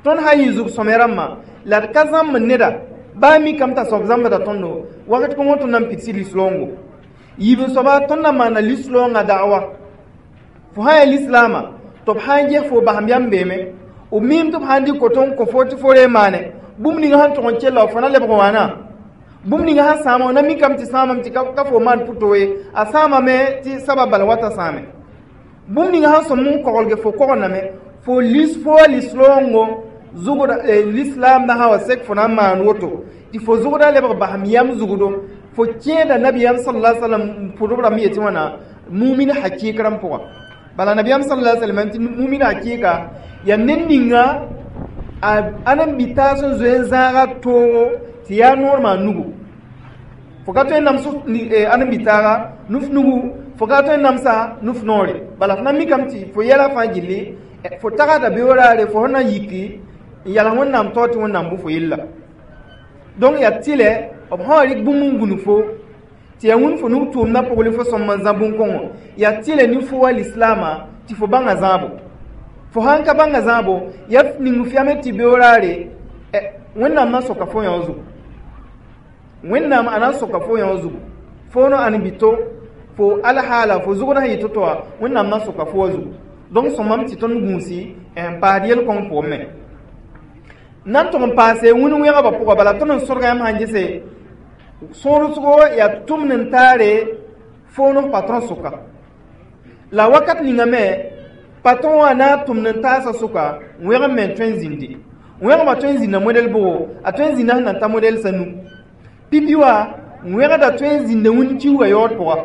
tõnd sã n yɩ zug-sõme rãmbã la d ka zãmb neda baa mikame t'a soab zãmbda tõndo wakat kõngõ tõnd na n pidsi lislaoongo yiib n soaba tõnd na n maana lislaoongã da'wa. Fo sã n yaa lislaamã tɩ b sã n ges fo basem yam beeme, b miime tɩ b sã n dɩk koto n kõ fo tɩ fo ree maane bũmb ninga sẽn tʋg n kella fo na lebg wãna, bũmb ninga sẽn sãama na mikame tɩ sãamame tɩ ka fo maan pʋto ye, a sãamame tɩ sabab bala wata sãame, bũmb ninga sẽn sõm n koglge fo kogendame fo lis fo wa lislaoongo zugda lislaam na sã wa sek fo na n maan woto tɩ fo zugda lebg basem yam zugdo fo kẽeda nabiyaam sallallahu alaihi wasallam pʋdb rãmb yetɩ wãna mumin hakɩɩk rãmb pʋga. Bala nabiyaam sallallahu alaihi wasallam tɩ mumin hakɩɩka yaa ned ninga a ãdem-bi-taas sẽn zoe n zãaga toogo tɩ yaa noor maa nugu. Fo ka tõe n nams ãdem-bi-taaga nuf nugu, fo ka tõe n namsa nuf noore, bala fo na mikame tɩ fo yɛla fãa gilli fo tagada beoraare fo sẽn na n yiki n yals Wẽnnaam tao tɩ Wẽnnaam bʋ fo yella. Donc yaa tɩlɛ b sã wa rɩk bũmb n gũnu fo tɩ yaa wĩnd fo nug tʋʋmdã pʋgl fo sõm n zã bũn-kõngo, yaa tɩlɛ ne fo wa lislaamã tɩ fo bãnga zãabo. Fo sãn ka bãnga zãabo yaa ning f yame tɩ beoraare Wẽnnaam na n soka fo yã zugu, Wẽnnaam a na n soka fo yã zugu fo no ãdem-bito fo alhaala fo zugd sẽn yɩ to-to wã Wẽnnaam na n soka fo wa zugu. Donc sõmame tɩ tõnd gũusi n paasd yel-kõng pʋgẽ me na n tʋg n paase wĩn wẽgebã pʋga. Bala tõnd n sõdga yãmb sãn gese sõodsgo yaa tʋmd n taare fo no patron sʋka la wakat ninga me patron wã na n tʋmd n taasã sʋka wẽgem me n tõe n zĩndi wẽgemã tõe n zĩnda modɛl bʋgo a tõe n zĩnda sẽn na n ta modɛl sa nu pipi wã wẽgda tõe n zĩnda wĩnd kiuugã yaood pʋga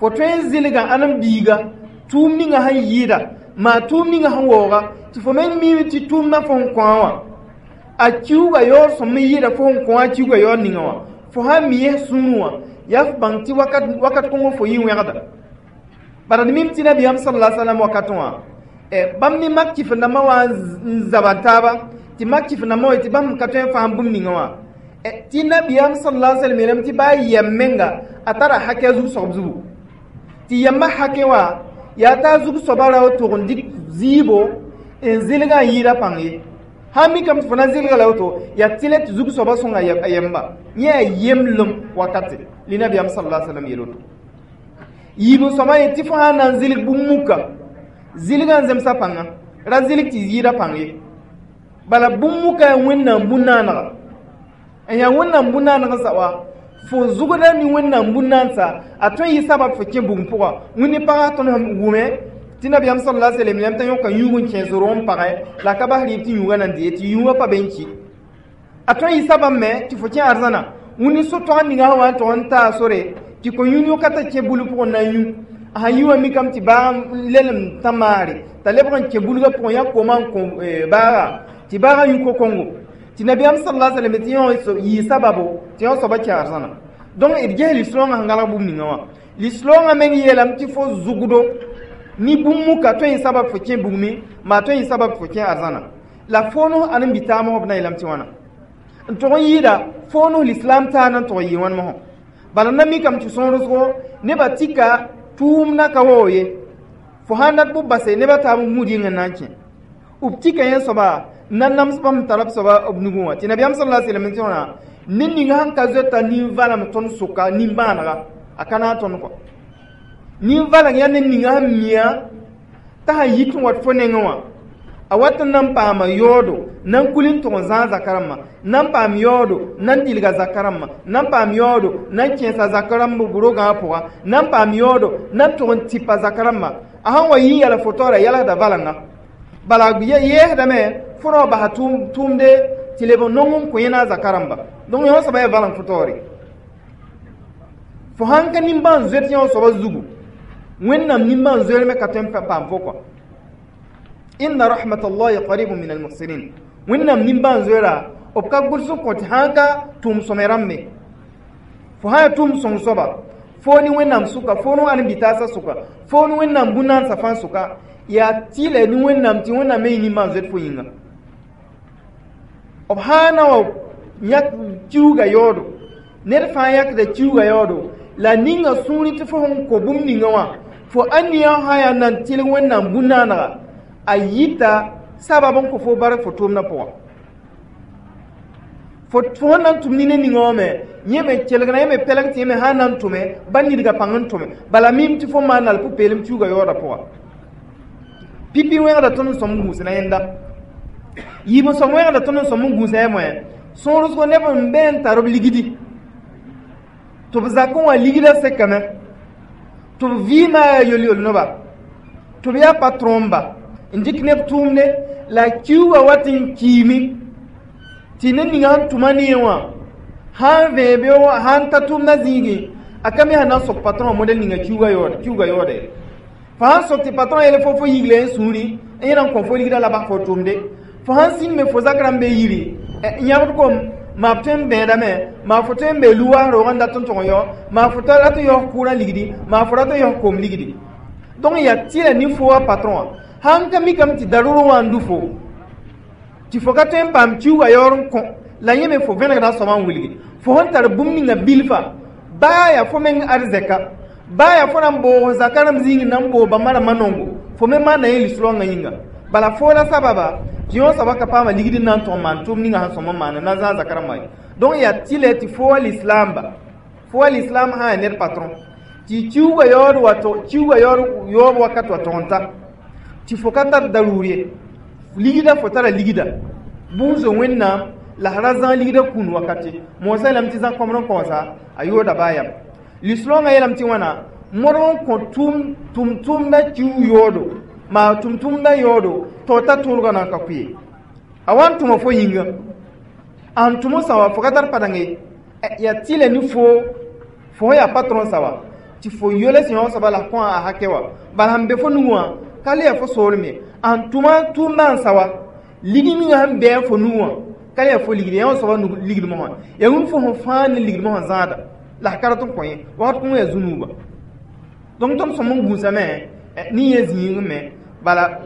fo tõe n zɩlga ãdem-biiga tʋʋm ninga sẽn yɩɩda maa tʋʋm ninga sẽn waooga tɩ fo meng miime tɩ tʋʋmdã fo sẽn kõ wã a kiuugã yaood sõm n yɩɩda fo sẽn kõ a kiuugã yaood ninga wã fo sãn mi yẽ sũurẽ wã yaa f bãng tɩ wakat kõngo fo yɩ wẽgda. Bala d mim tɩ nabiyaam sallallahu alaihi wasallam wakatẽ wã Bãmb ne mak kɩf-dãmbã wã n zaba taaba tɩ mak kɩf-dãmbã wa tɩ bãmb ka tõe n fãam bũmb ninga wã tɩ nabiyaam sallallahu alaihi wasallam yeelame tɩ baa yɛm menga a tara hakɛ a zug-soab zugu tɩ yɛmbã hakɛ wã yaa t'a zug-soabã ra tog n dɩk zɩɩbo n zɩlgã n yɩɩda pãng ye sãn mikame tɩ fo na n zɩlga la woto yaa tɩlɛ tɩ zug-soabã sõnga a yɛmba yẽ yaa yemblem wakate li nabiyaam sallallahu alaihi wasallam yeel woto yiib soaba ye tɩ fo sã n na n zɩlg bũmb muka zɩlgã n zemsa pãnga ra zɩlg tɩ yɩɩda pãng ye bala bũmb muka yaa wẽnnaam bũn-naanega n yaa wẽnnaam bũn-naaneg n sa wa fo zugda ne wẽnnaam bũn-naansa a tõe n yɩ sabab fo kẽ bugum pʋga wẽnd pagã tõnd sẽn wʋme tɩ nabiyaam sallallahu alaihi wasallam t'a yõka yũug n kẽes ro n pagɛ la ka bas rɩɩb tɩ yũugã na n dee tɩ yũugã pa be n ki a tõe n yɩ sabab me tɩ fo kẽ arzãna wẽnd so-toag ninga sã wa n tog n taa sore tɩ ko yũ yõka t'a kẽ bul pʋgẽ na n yũ a sãn yi wã mikame tɩ baag lelem tã maare t'a lebg n kẽ bulgã pʋgẽ yã koma n kõ baaga tɩ baagã yũ ko-kongo tɩ nabiyaam sallallahu alaihi wasallam tɩ yõ yɩ sababo tɩ yõ soaba kẽ arzãna donc d ges lislaoongã sẽn gãlg bũmb ninga wã lislaoongã meng yeelame tɩ fo zugdo ni bũmb muka tõe n yɩ sabab fo kẽ bugmẽ maa tõe n yɩ sabab fo kẽ arzãna la fonos ãn n bɩ taam b na yeelame tɩ wãna n tog n yɩɩda fonos l'islam taa na n tog n yɩ wãn mosã bala na mikame tɩ sõorsgo nebã tika tʋʋmdã ka waoog ye fo sãn dat b base nebã taab n gũud yĩng n na n kẽ b tika yẽ soaba n na nams bãmb tara b soaba b nugẽ wã tɩ nabiyaam sallallahu alaihi wasallam tɩ wãna ned ninga sẽn ka zoeta nin-valem tõnd sʋka nin-bãanega a ka na n tõnd kɔ nin-valeng yaa ned ninga sẽn mia t'a sãn yit n wat fo nengẽ wã a wat n na n paama yaoodo na n kul n tʋg n zãag zaka rãmbã na n paam yaoodo na n dɩlga zaka rãmbã na n paam yaoodo na n kẽesa zaka rãmb b rogã pʋga na n paam yaoodo na n tʋg n tɩpa zaka rãmbã a sãn wa yɩ n yɛla fo taoora yɛlsda valenga bala yɛɛsdame fo ra wa basa tʋʋmde tɩ leb n nong n kõ yẽna a zaka rãmba donc yõ soaba yaa valeng fo taoore fo sãn ka nimbãan-zoet yõ soaba zugu wẽnnaam nimbãan-zoeer me ka tõe n paam fo kɔ inna rahmatallahi qaribun min almuhsinin wẽnnaam nimbãan-zoeera b ka gʋls n kõ tɩ sãn ka tʋʋm sõme rãmbe fo sã yaa tʋʋm sõng soaba fo ne wẽnnaam sʋka fo ne ãn bitaasã sʋka fo ne wẽnnaam bũn-naansã fãa sʋka yaa tɩlɛ ne wẽnnaam tɩ wẽnnaam me yɩ nimbãan-zoet fo yĩnga b sã na wa yãk kiuga yaoodo ned fãa yãkda kiuga yaoodo la ninga sũurẽ tɩ fo sẽn kõ bũmb ninga wã fo ãniyã sã yaa nan tɩlg wẽnnaam bũn-naanega a yita sabab n kõ fo bark fo tʋʋmdã pʋgã fo sẽn na n tʋm nina ninga wã me yẽ me kelgna yẽ me pɛlg tɩ yẽ me sã n na n tʋme ba nidga pãng n tʋme bala mim tɩ fo maan la pʋ-peelem kiuga yaooda pʋga pipi wẽgda tõnd n sõm n gũusna yẽnda yiib n sõm wẽgda tõnd n sõm n gũusa ya moẽ sõorsgo neb n be n tar b ligdi tɩ b zakẽ wã ligdã sekame tɩ b vɩɩmã yaa yol-yol noba tɩ b yaa patronba n dɩk neb tʋʋmde la kiuugã wat n kiime tɩ ned ninga sẽn tʋma ne wã sã n vẽebe sã n ta tʋʋmdã zĩigẽ a ka me sẽn na n sok patron modɛl ninga kiuugã yaoode fo sãn sok tɩ patron yele fo fo yigla n sũuri n yẽ na n kõ fo ligdã la bas fo tʋʋmde fo sãn sĩnd me fo zak rãmb be yiri yãbd kom maa b tõe n bẽedame maa fo tõe n bee lu-was roog n dat n tʋg n yao maa fo rat n yaoos kʋʋrã ligdi maa fo rat n yaoos koom ligdi donc yaa tɩla ne fo wa patron wã sãn ka mikame tɩ darʋr wã n du fo tɩ fo ka tõe n paam kiuugã yaoor n kõ la yẽ me fo vẽnegda soabã n wilgi fo sẽn tar bũmb ninga bilfa baa yaa fo meng arzɛka baa yaa fo na n boog zaka rãmb zĩig na n boog bãmba rãmbã nongo fo me maanda yẽ lislaoongã yĩnga bala fo la sababa tɩ yõ soaba ka paama ligd n na n tõg n maan tʋʋm ninga sẽn sõm n maana na zãag zaka rãmbã ye donc yaa tɩlɛ tɩ fo wa lislaamba fo wa lislaam sã yaa ned patron tɩ kiuugã yaood wa kiuugã yaood yaoob wakat wa tog n ta tɩ fo ka tar daruur ye ligda fo tara ligda buuso wẽnnaam la ra zãag ligda kũun wakate moosã yeelame tɩ zã kõbr n kaoosa a yooda baa yam lislaoongã yeelame tɩ wãna modg n kõ tʋm-tʋmdã kiu yoodo maa tʋm-tʋmdã yaoodo tɩ ta tõodgã na n ka kʋ ye a wa n tʋma fo yĩnga a n tʋm sã wa fo ka tar padeng ye yaa tɩlɛ ne fo fo yaa patron sa wa tɩ fo yole sẽn yão soaba la kõ a hakɛ wa bala sẽn be fo nugu wã ka le yaa fo soolem ye a n tʋma tʋʋmdã n sa wa lig ninga sẽn bɩ fo nugu wã ka le yaa fo ligd yã soaba ligd mosã yaa wĩm fo sẽn fãa ne ligd mosã zãada la ka rat n kõ ye wakat kõ yaa zu-nuuba donc tõnd sõm n gũusame ne yẽ zĩig me Bala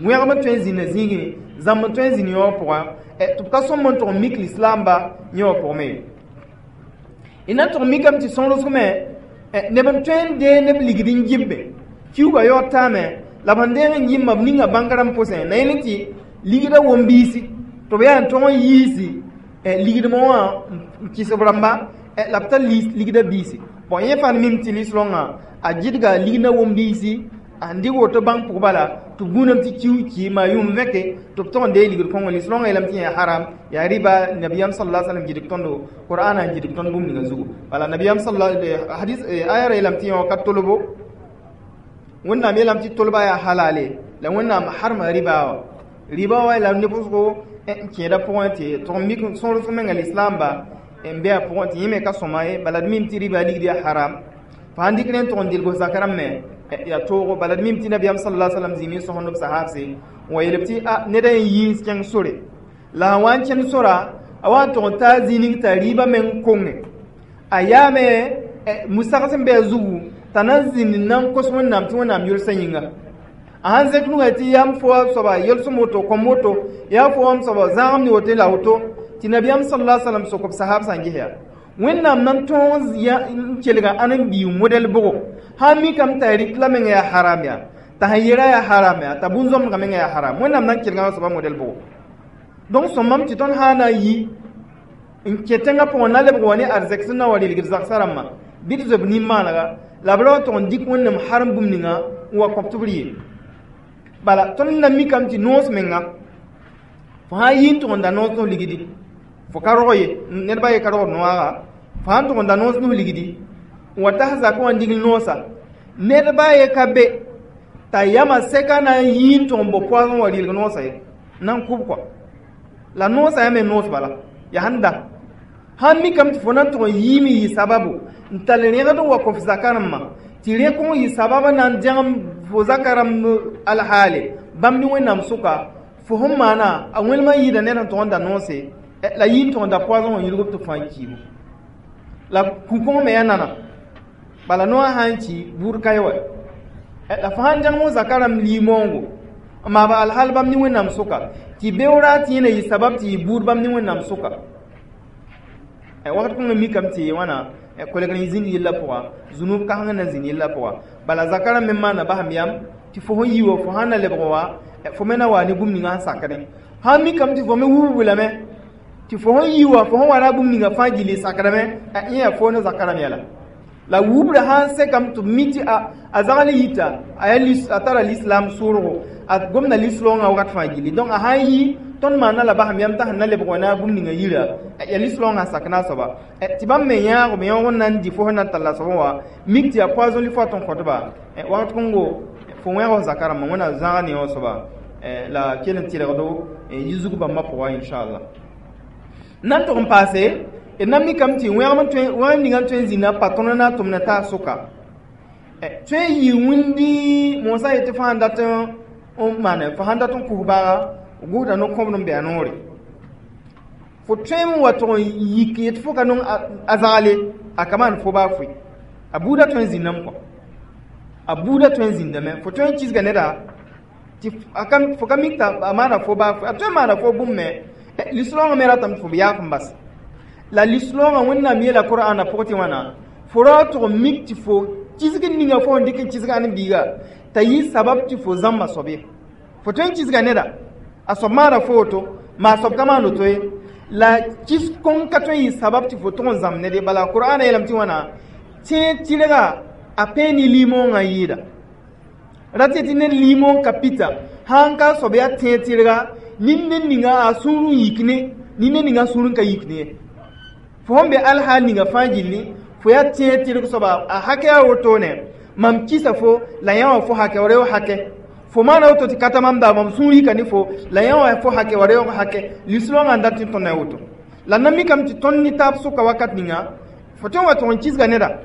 wẽgem n tõe n zĩnda zĩigẽ, zãmb n tõe n zĩnd yõ wã pʋgã, tɩ b ka sõmb n tʋg n mik lislaamba yẽ wã pʋgẽ ye. D na n tʋg n mikame tɩ sõrosg me neb n tõe n dee neb ligd n gɩmbe, kiuugã yaood taame, la b sẽn deeg n gɩmba, b ninga bãnk rãmb pʋsẽ na yẽl tɩ ligdã wom-biisi tɩ b yaa n tõg n yiisi ligdmã wã n kɩs b rãmba, la b tar ligdã biisi. Bõn, yẽ fãa mim tɩ lislõngã a gɩdga ligdã wom-biisi n dɩg woto bãng pʋg bala tɩ b gũudame tɩ kiu ki maa yũum vẽke tɩ b tog n dee ligd kõngo. Lislõngã yeelame tɩ yaa haram, yaa riba. Nabiyaam sala sallam gɩdg tõndo, qur'ana n gɩdg tõnd bũmb ninga zugu. Bala nabiyaam sala hadis aya ra yeelame tɩ yõ ka tolbo. Wẽnnaam yeelame tɩ tolba yaa halale, la Wẽnnaam harma riba wã. Riba wã la neb wʋsgo n kẽeda pʋgẽ tɩ tʋg n mik sõrsg menga lislaamba n be a pʋgẽ tɩ yẽ me ka sõma ye. Bala d mim tɩ riba ligd yaa haram. Fo sãn dɩk rẽ n tʋg n dɩlg zak rãmb me yaa toogo. Bala d mim tɩ nabiyaam sala sallam zĩig n sõsend b sahabse n wa yeel tɩ a neda n yiis kẽng sore, la sã wa n kẽnd sora, a wa n tʋg n taa zĩig ning t'a rɩɩbã meng konge, a yaame musags n be a zugu t'a na n zĩnd n na n kos Wẽnnaam tɩ Wẽnnaam yolsã yĩnga. A sãn zẽk nugã tɩ yam fo a soaba yelsem woto, kõm woto, yaa fo wam soaba zãagem ne woto la woto, tɩ nabiyaam sala sallam sok b sahab sã n ges yaa Wẽnnaam na n tõog n kelga ãnen-biig modɛl bʋgo sã n mikame t'a rɩk la meng yaa haram yaa, t'a sẽn yeera yaa haram yaa, t'a bũn-zõmdgã mengã yaa haram, Wẽnnaam na n kelgã soaba modɛl bʋgo. Donc sõmame tɩ tõnd sã na n yi n kẽ tẽngã pʋgẽ na lebg wa ne arzɛk sẽn na wa rɩlgd zagsã rãmbã, bɩ d zob nin-maanega la b ra wa tʋg n dɩk Wẽnnaam harem bũmb ninga n wa kõp tɩ b rɩ ye. Bala tõnd na mikame tɩ noos menga, fo sã n yi n tʋg n da noos nos ligdi, fo ka rog ye, ned ba ye ka rogd noaaga. Fo sã n tʋg n da noos nus ligdi n wa tas zakã wã n digl noosa, ned ba ye ka be t'a yama sɛka na n yii n tʋg n bo poisson wa rɩlg noosa ye, na n kʋb kɔa la noosa yaa me noos. Bala yaa sẽn da sãn mikame tɩ fo na n tʋg n yiime yɩ sababu n tall rẽgd n wa kõ f zaka rãmbã, tɩ rẽ kõn yɩ sababa na n dẽgem fo zaka rãmb alhaale bãmb ne Wẽnnaam sʋka, fo sẽn maana a wẽlmã yɩɩda ned sẽn tʋg n da noose la yɩ n tʋg n da poison wã yilgb tɩ fãa kiibu la kũ-kõng me yaa nana. Bala noã sã n ki buud ka ye wa, la fo sãn dẽgem zaka rãmb lii-moongo n maaba alhal bãmb ne Wẽnnaam sʋka, tɩ beoora tɩ yẽ na yɩ sabab tɩ yɩ buud bãmb ne Wẽnnaam sʋka. Wakat kõnga mikame tɩ wãna kolgr n zĩnd yellã pʋga, zũnub kãseng na zĩnd yellã pʋga. Bala zaka rãmb me maana basem yam tɩ fo sẽn yi wa, fo sãn na lebg wa, fo me na wa ne bũmb ninga sẽn sakdẽ. Sãn mikame tɩ fo me wubg lame tɩ fo sẽn yi wa, fo sẽn wa na bũmb ninga fãa gilli sakdame, yẽ yaa fo ne zaka rãmb yɛla. La wubra sãn sekame tɩ b mi tɩ a zagl yita a tara lislam sʋʋrgo, a gomda lislõngã wakat fãa gilli. Donc a sãn yi, tõnd maana la basem yam t'a sẽn na lebg wa ne a bũmb ninga yira yaa lislõngã sak na a soaba, tɩ bãmb me yãag b yõog n na n dɩ fo sẽn na n tall a soabã wa mik tɩ yaa poison li fo tɩ n kõtba. Wakat kõngo fo wẽg f zaka rãmbã, Wẽnnaam zãag ne wã soaba la kell n tɩrgdo yi-zug bãmbã pʋga, inchallah. N na n tʋg n paase, d na mikame tɩ wẽgem ninga n tõe n zĩnda patron na tʋmd t'a sʋka tõe n yɩ wĩndi mosã yetɩ fo sãn dat n maane, fo sãn dat n kʋs baaga gʋsda no-kõbd n bɩ a noore, fo tõe n wa tʋg n yik yetɩ fo ka nong a zagle a ka maan fo baa foe, a buudã tõe n zĩndame kɔ, a buudã tõe n zĩndame. Fo tõe n kisga neda tɩ fo ka mik t'a maana fo baa foe, a tõe n maana fo bũmb me. Lislõngã me ratame tɩ fo b yaaf n bas la lislõngã Wẽnnaam yeela Qur'ana pʋgẽ tɩ wãna fo ra tʋg n mik tɩ fo kisg ninga fo sẽn dɩk n kisg ãnen-biiga t'a yɩ sabab tɩ fo zãmba soab ye. Fo tõe n kisga neda, a soab maana fo woto, maa a soab ka maan woto ye, la kis kõn ka tõe n yɩ sabab tɩ fo tʋg n zãmb ned ye. Bala Qur'ana yeelame tɩ wãna tẽeg tɩrga a pẽ ne limõongã yɩɩda ra tɩ tɩ ned limõong ka pita sãn ka soab yaa tẽeg tɩrga nin ned ninga a sũur n yik ne nin ned ninga a sũur n ka yik ne ye. Fo sẽn be alhaal ninga fãa gilli, fo yaa tẽeg tɩrg soaba a hakɛ yaa wotone mam kisa fo la yã wã fo hakɛ wa reoog hakɛ, fo maana woto tɩ ka ta mam da mam sũur yika ne fo la yã wã fo hakɛ wa reoog hakɛ. Lislõngã n dat tɩ tõnd a woto la na mikame tɩ tõnd ne taab sʋka wakat ninga fo tõe n wa tʋg n kisga neda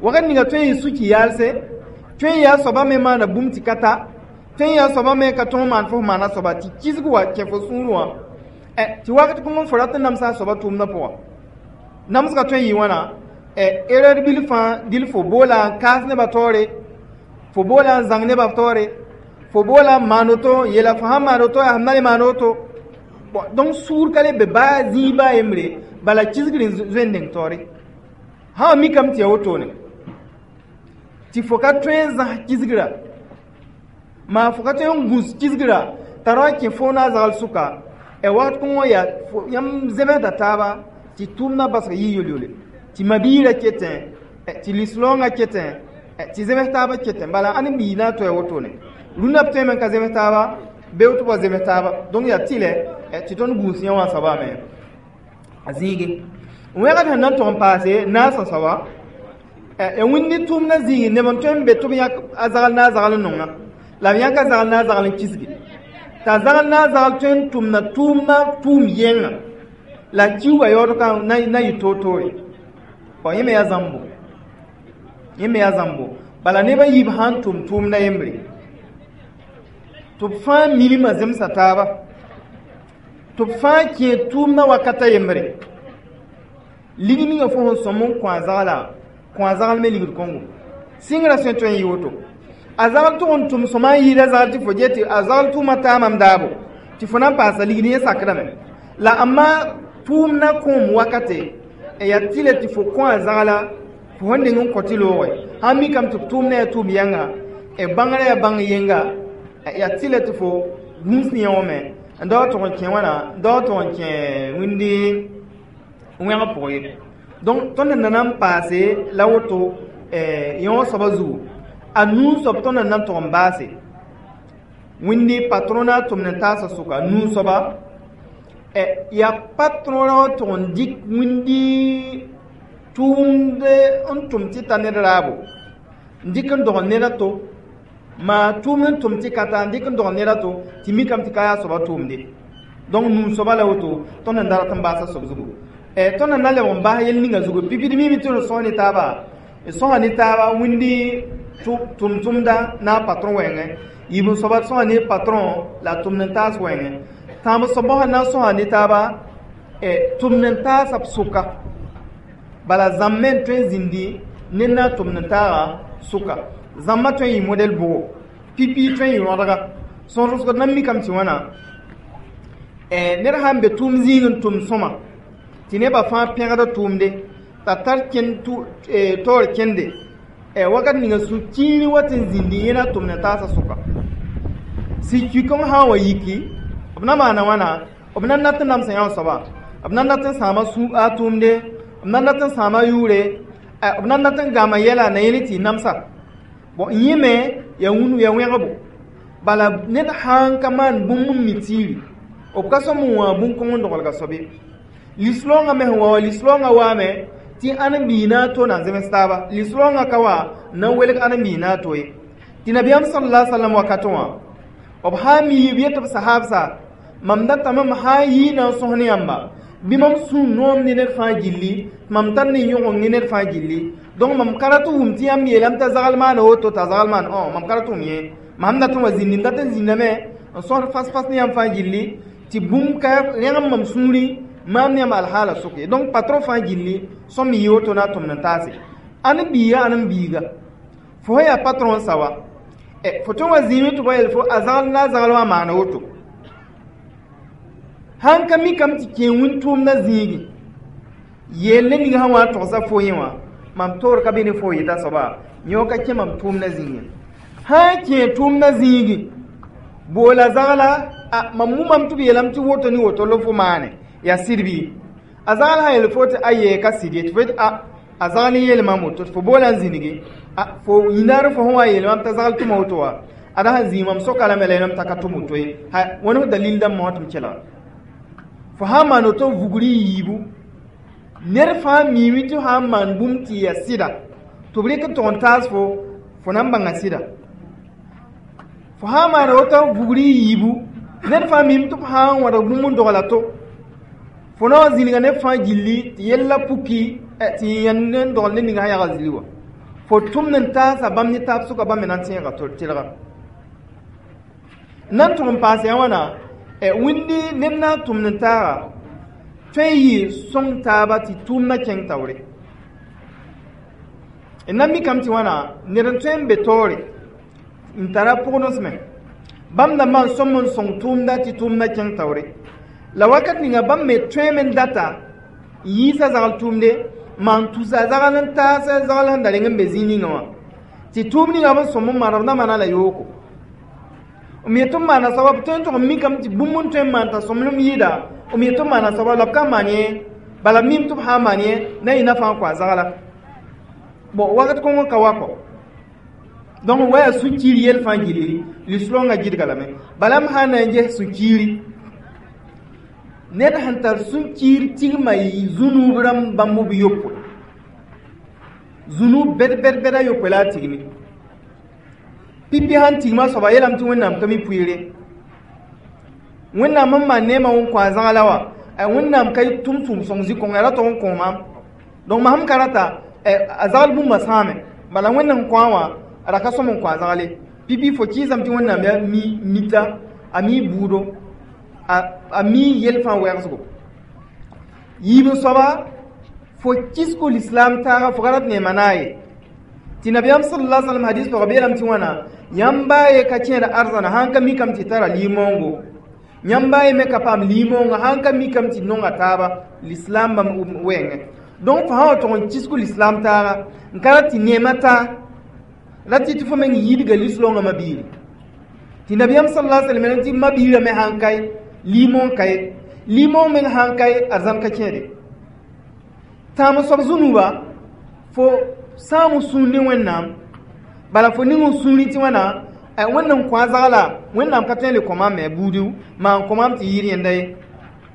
wakat ninga tõe n yɩ suki yaalse, tõe n yaa soaba me maana bũmb tɩ ka ta, tõe n yaa soaba me ka tõog maan fo f maana soaba tɩ kisg wa kẽ fo sũur wã, tɩ wakat kõng fo rat n namsa a soaba tʋʋmdã pʋga. Namsgã tõe n yɩ wãna erreur bil fãa dil fo boola n kaas nebã taoore, fo boola n zãng nebã taoore, Fo boola n maan woto, yeela fo sãn maan woto, yaa sẽn na le maan woto. Bon, donc sũur ka le be baa zĩig baa yembre, bala kisgr n zoe n deng taoore. Sã n mikame tɩ yaa wotone tɩ fo ka tõe n zãs kisgra, maa fo ka tõe n gũs kisgra t'a ra kẽ fo na a zagl sʋka wakat kõngõ yaa yãmb zemsda taaba tɩ tʋʋmdã basg yɩ yol-yole, tɩ mabiirã ketẽ, tɩ lis-raoongã ketẽ, tɩ zems taabã ketẽ. Bala ãn bii na n toa wotone rũndã b tõeme n ka zems taaba bee tɩ wa zems taaba. Donc yaa tɩlɛ tɩ tõnd gũus yã wã soaba me a zĩige wẽgd sẽn na n tog n paase naasã soaba ya wĩndi tʋʋmdã zĩigi neb n tõe n be tɩ b yãk a zagl na a zagl n nonga la b yãk a zagl na a zagl n kisge t'a zagl na a zagl tõe n tʋmda tʋʋmdã tʋʋm yẽnga la kiuugã yaood ka na yɩ toor-toore. Bõn yẽ me yaa zãmbo, yẽ me yaa zãmbo. Bala neb a yiib sã n tʋm tʋʋmdã yembre tɩ b fãa milmã zemsa taaba, tɩ b fãa kẽ tʋʋmdã wakata yembre. Lig ninga fo sẽn sõm n kõ a zagla, kõ a zagl me ligd kõngo sɩngrã sõe tõe n yɩ woto. A zagl tʋg n tʋm sõma n yɩɩda zagl tɩ fo get tɩ a zagl tʋʋma taa mam daabo tɩ fo na n paasa ligd yẽ sakdame la amma tʋʋmdã kõom wakate yaa tɩlɛ tɩ fo kõ a zagla fo sẽn deng n kõ tɩ loogẽ sãn mikame tɩ b tʋʋmdã yaa tʋʋm yãnga bãngrã yaa bãng yenga yaa tɩlɛ tɩ fo gũus ne yã wã me n da wa tʋg n kẽ wãna n da wa tʋg n kẽ wĩndi wẽg pʋgẽ ye. Donc tõnd sẽn na n paase la woto yõ wã soabã zugu a nuu soab tõnd na n tʋg n baase wĩndi patron na tʋmd n taasã sʋka nuu soaba yaa patron rã wã tʋg n dɩk wĩndi tʋʋmd n tʋm tɩ ta ned raabo n dɩk n dogl ned a to maa tʋʋmd n tʋm tɩ ka ta n dɩk n dogl ned a to tɩ mikame tɩ ka yaa soaba tʋʋmde. Donc nuu soaba la woto tõnd n da rat n baasa soab zugu tõnd na leb n bas yel ninga zugu pipi d mime tɩ d sõs ne taaba sõsa ne taaba wĩndi tʋm-tʋmda na a patron wɛɛngẽ yib n soaba sõsa ne patron la tʋmd n taas wɛɛngẽ tãab soabã sẽn na n sõsa ne taaba tʋmd n taasa b sʋka bala zãmb me n tõe n zĩndi ned na n tʋmd n taaga sʋka zãmbã tõe n yɩ modɛl bʋgo pipi tõe n yɩ rõdga sõsg d na n mikame tɩ wãna ned sã n be tʋʋm zĩig n tʋm sõma tɩ nebã fãa pẽgda tʋʋmde t'a tar taoor kẽnde wakat ninga sũ-kiiri wa tɩ n zĩndi yẽ na tʋmd n taasã sʋka sɩ-kɩkõng sã n wa yiki b na maana wãna b na n dat n namsa yã soaba b na n dat n sãama a tʋʋmde b na n dat n sãama yʋʋre b na n dat n gama yɛla na yẽl tɩ y namsa bon yẽ me yaa wũnu yaa wẽgbo bala ned sã n ka maan bũmb n mi tiiri b ka sõm n wã bũn-kõng n dogelga soab ye lis-raoongã me sẽn wa wa lis-raoongã waame tɩ ãn bii na n to na n zems taaba lis-raoongã ka wa n na n welg ãn bii na n to ye tɩ nabiyaam sala sallam wakatẽ wã b sã n mi b yet b sahaabsa mam datame m sã n yii na n sõs ne yãmba bɩ mam sũ noom ne ned fãa gilli mam tar ne yõgeng ne ned fãa gilli donc mam ka rat n wʋm tɩ yãmb yeelame t'a zagl maana woto t'a zagl maan mam ka rat n wʋm yẽ mam dat n wa zĩndi n dat n zĩndame n sõsd fas-fas ne yãmb fãa gilli tɩ bũmb ka rẽgem mam sũurẽ maam ne yãmb alhaala sʋk ye. Donc patron fãa gilli sõm yɩ woto na a tʋmd n taase ãn biiga ãn n biiga fo sẽn yaa patron sa wa fo tõe n wa zĩime tɩ ba yel fo a zagl na a zagl wã maana woto sãn ka mikame tɩ kẽ wĩn-tʋʋmdã zĩigi yeel ne ning sã wã n togsa fo yẽ wã mam toor ka be ne fo yeta soaba yõ ka kẽ mam tʋʋmdã zĩigẽ sã n kẽ tʋʋmdã zĩigi boola zagla mam wʋmame tɩ b yeelame tɩ woto ne woto la fo maane yaa sɩd bɩ a zagl sã yel fo tɩ aye ka sɩd ye tɩ fo yetɩ a zagl n yeel mam woto tɩ fo boola n zĩnigi fo yĩnaar fo sẽn wa yeel mam t'a zagl tʋma woto wa ada sãn zĩig mam soka lame la yẽlame t'a ka tʋm woto ye wãn f dalil dãmb wã tɩ m kelga fo sã n maan woto vugr yiibu ned fãa miime tɩ sã n maan bũmb tɩ yaa sɩda tɩ b rɩk n tʋg n taas fo fo na n bãnga sɩda fo sã n maan woto vugr yiibu ned fãa miime tɩ f sã n wãdg bũmb n dogla to fo na wa zĩnga neb fãa gilli tɩ yella puki tɩ yãnd n dogl ne ninga sã yagl zili wã fo tʋmd n taasa bãmb ne taab sʋka bãmb me na n tẽega tɩlga n na n tʋg n paas yaa wãna wĩndi ned na n tʋmd n taaga tõe n yɩ sõng taaba tɩ tʋʋmdã kẽng taoore n na mikame tɩ wãna ned n tõe n be taoore n tara pʋgdensme Bãmb dãmbã n sõm n sõng tʋʋmda tɩ tʋʋmdã kẽng taoore. La wakat ninga bãmb me tõeme n data n yiisa zagl tʋʋmde, maan tusa zagl n taas zagl sẽn da reng n be zĩig ninga wã. Tɩ tʋʋm ninga b n sõm n maana b na maana la yooko. M yet n maana soaba b tõe n tʋg n mikame tɩ bũmb n tõe n maan t'a sõmblem yɩɩda, m yet n maana soaba la b ka maan yẽ, bala b mim tɩ b sã n maan yẽ na yɩ nafã n kõ a zagla. Bon, wakat kõng ka wa kɔ. Donc wa yaa sũ-kiir yell fãa gilli, lislaongã gɩdga lame. Bala m sã n na n ges sũ-kiiri, ned sẽn tar sũ-kiir tigma zũnub rãmb bãmb b yopoe. Zũnub bɛd bɛd bɛd a yopoe la a tigmi. Pipi sãn tigma soaba yeelame tɩ Wẽnnaam ka mi pʋɩɩre. Wẽnnaam n maan neemã n kõ a zagla wã, Wẽnnaam ka tʋm tʋʋm sõng zĩ-kõnga ra tog n kõ maam. Donc mam sẽn ka rata, a zagl bũmba sãame. Bala Wẽnd sẽn kõ wã, a ra ka sõm n kõ a zagle. Pipi fo kɩɩsame tɩ Wẽnnaam yaa mi mita, a mi buudo, a mi yell fãa wɛgsgo. Yiib n soaba, fo kisgo l'islam taaga fo ka rat neema naaye. Tɩ nabiyaam sallallahu alaihi wasallam hadis pʋgã b yeelame tɩ wãna, yãmb baa ye ka kẽed arzãna sãn ka mikame tɩ tara limoongo. Yãmb baa ye me ka paam limoongã sãn ka mikame tɩ nonga taaba l'islam bãmb wɛɛngẽ. Donc fo sã wa tog n kisgo l'islam taaga n ka rat tɩ neemã taa, ra tɩ tɩ fo meng yidga lislaongã mabiiri. Tɩ nabiyaam sallallahu alaihi wasallam tɩ mabiirã me sãn kae, limoong ka ye, limoong meng sãn kae, arzãn ka kẽede. Tãam soab zũnuba, fo sãam sũur ne Wẽnnaam, bala fo ning n sũurẽ tɩ wãna, Wẽnd n kõ a zagla, Wẽnnaam ka tõe n le kõ maam me buudu, maan kõ maam tɩ yɩɩd yẽnda ye.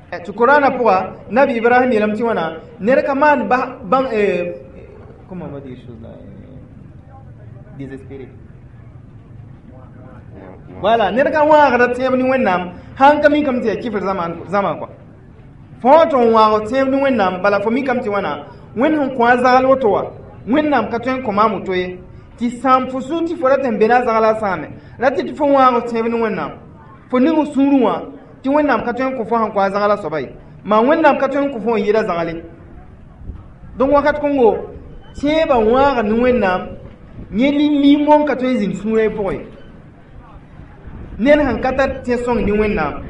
Tɩ Korãnã pʋga, Nabi Ibrahim yeelame tɩ wãna, ned ka maan bãng, comment on va dire chose là, désespéré. Voilà, ned ka wãagda tẽeb ne Wẽnnaam, sãn ka mikame tɩ yaa kifr zãma kɔa. Fo wã tɩ n wãag tẽeb ne Wẽnnaam, bala fo mikame tɩ wãna, Wẽnd sẽn kõ a zagl woto wã, Wẽnnaam ka tõe n kõ maam woto ye. Tɩ sãam fo sũur tɩ fo rat n be na zagla sãame, ra tɩ tɩ fo wãag tẽeb ne Wẽnnaam. Fo ning sũurẽ wã tɩ Wẽnnaam ka tõe n kõ fo sẽn kõ a zagla soaba ye. Maa Wẽnnaam ka tõe n kõ fo n yɩɩda zagle. Donc wakat kõngo, tẽebã wãaga ne Wẽnnaam, yẽ limong ka tõe n zĩnd sũurã pʋgẽ ye. Ned sẽn ka tar tẽ-sõng ne Wẽnnaam,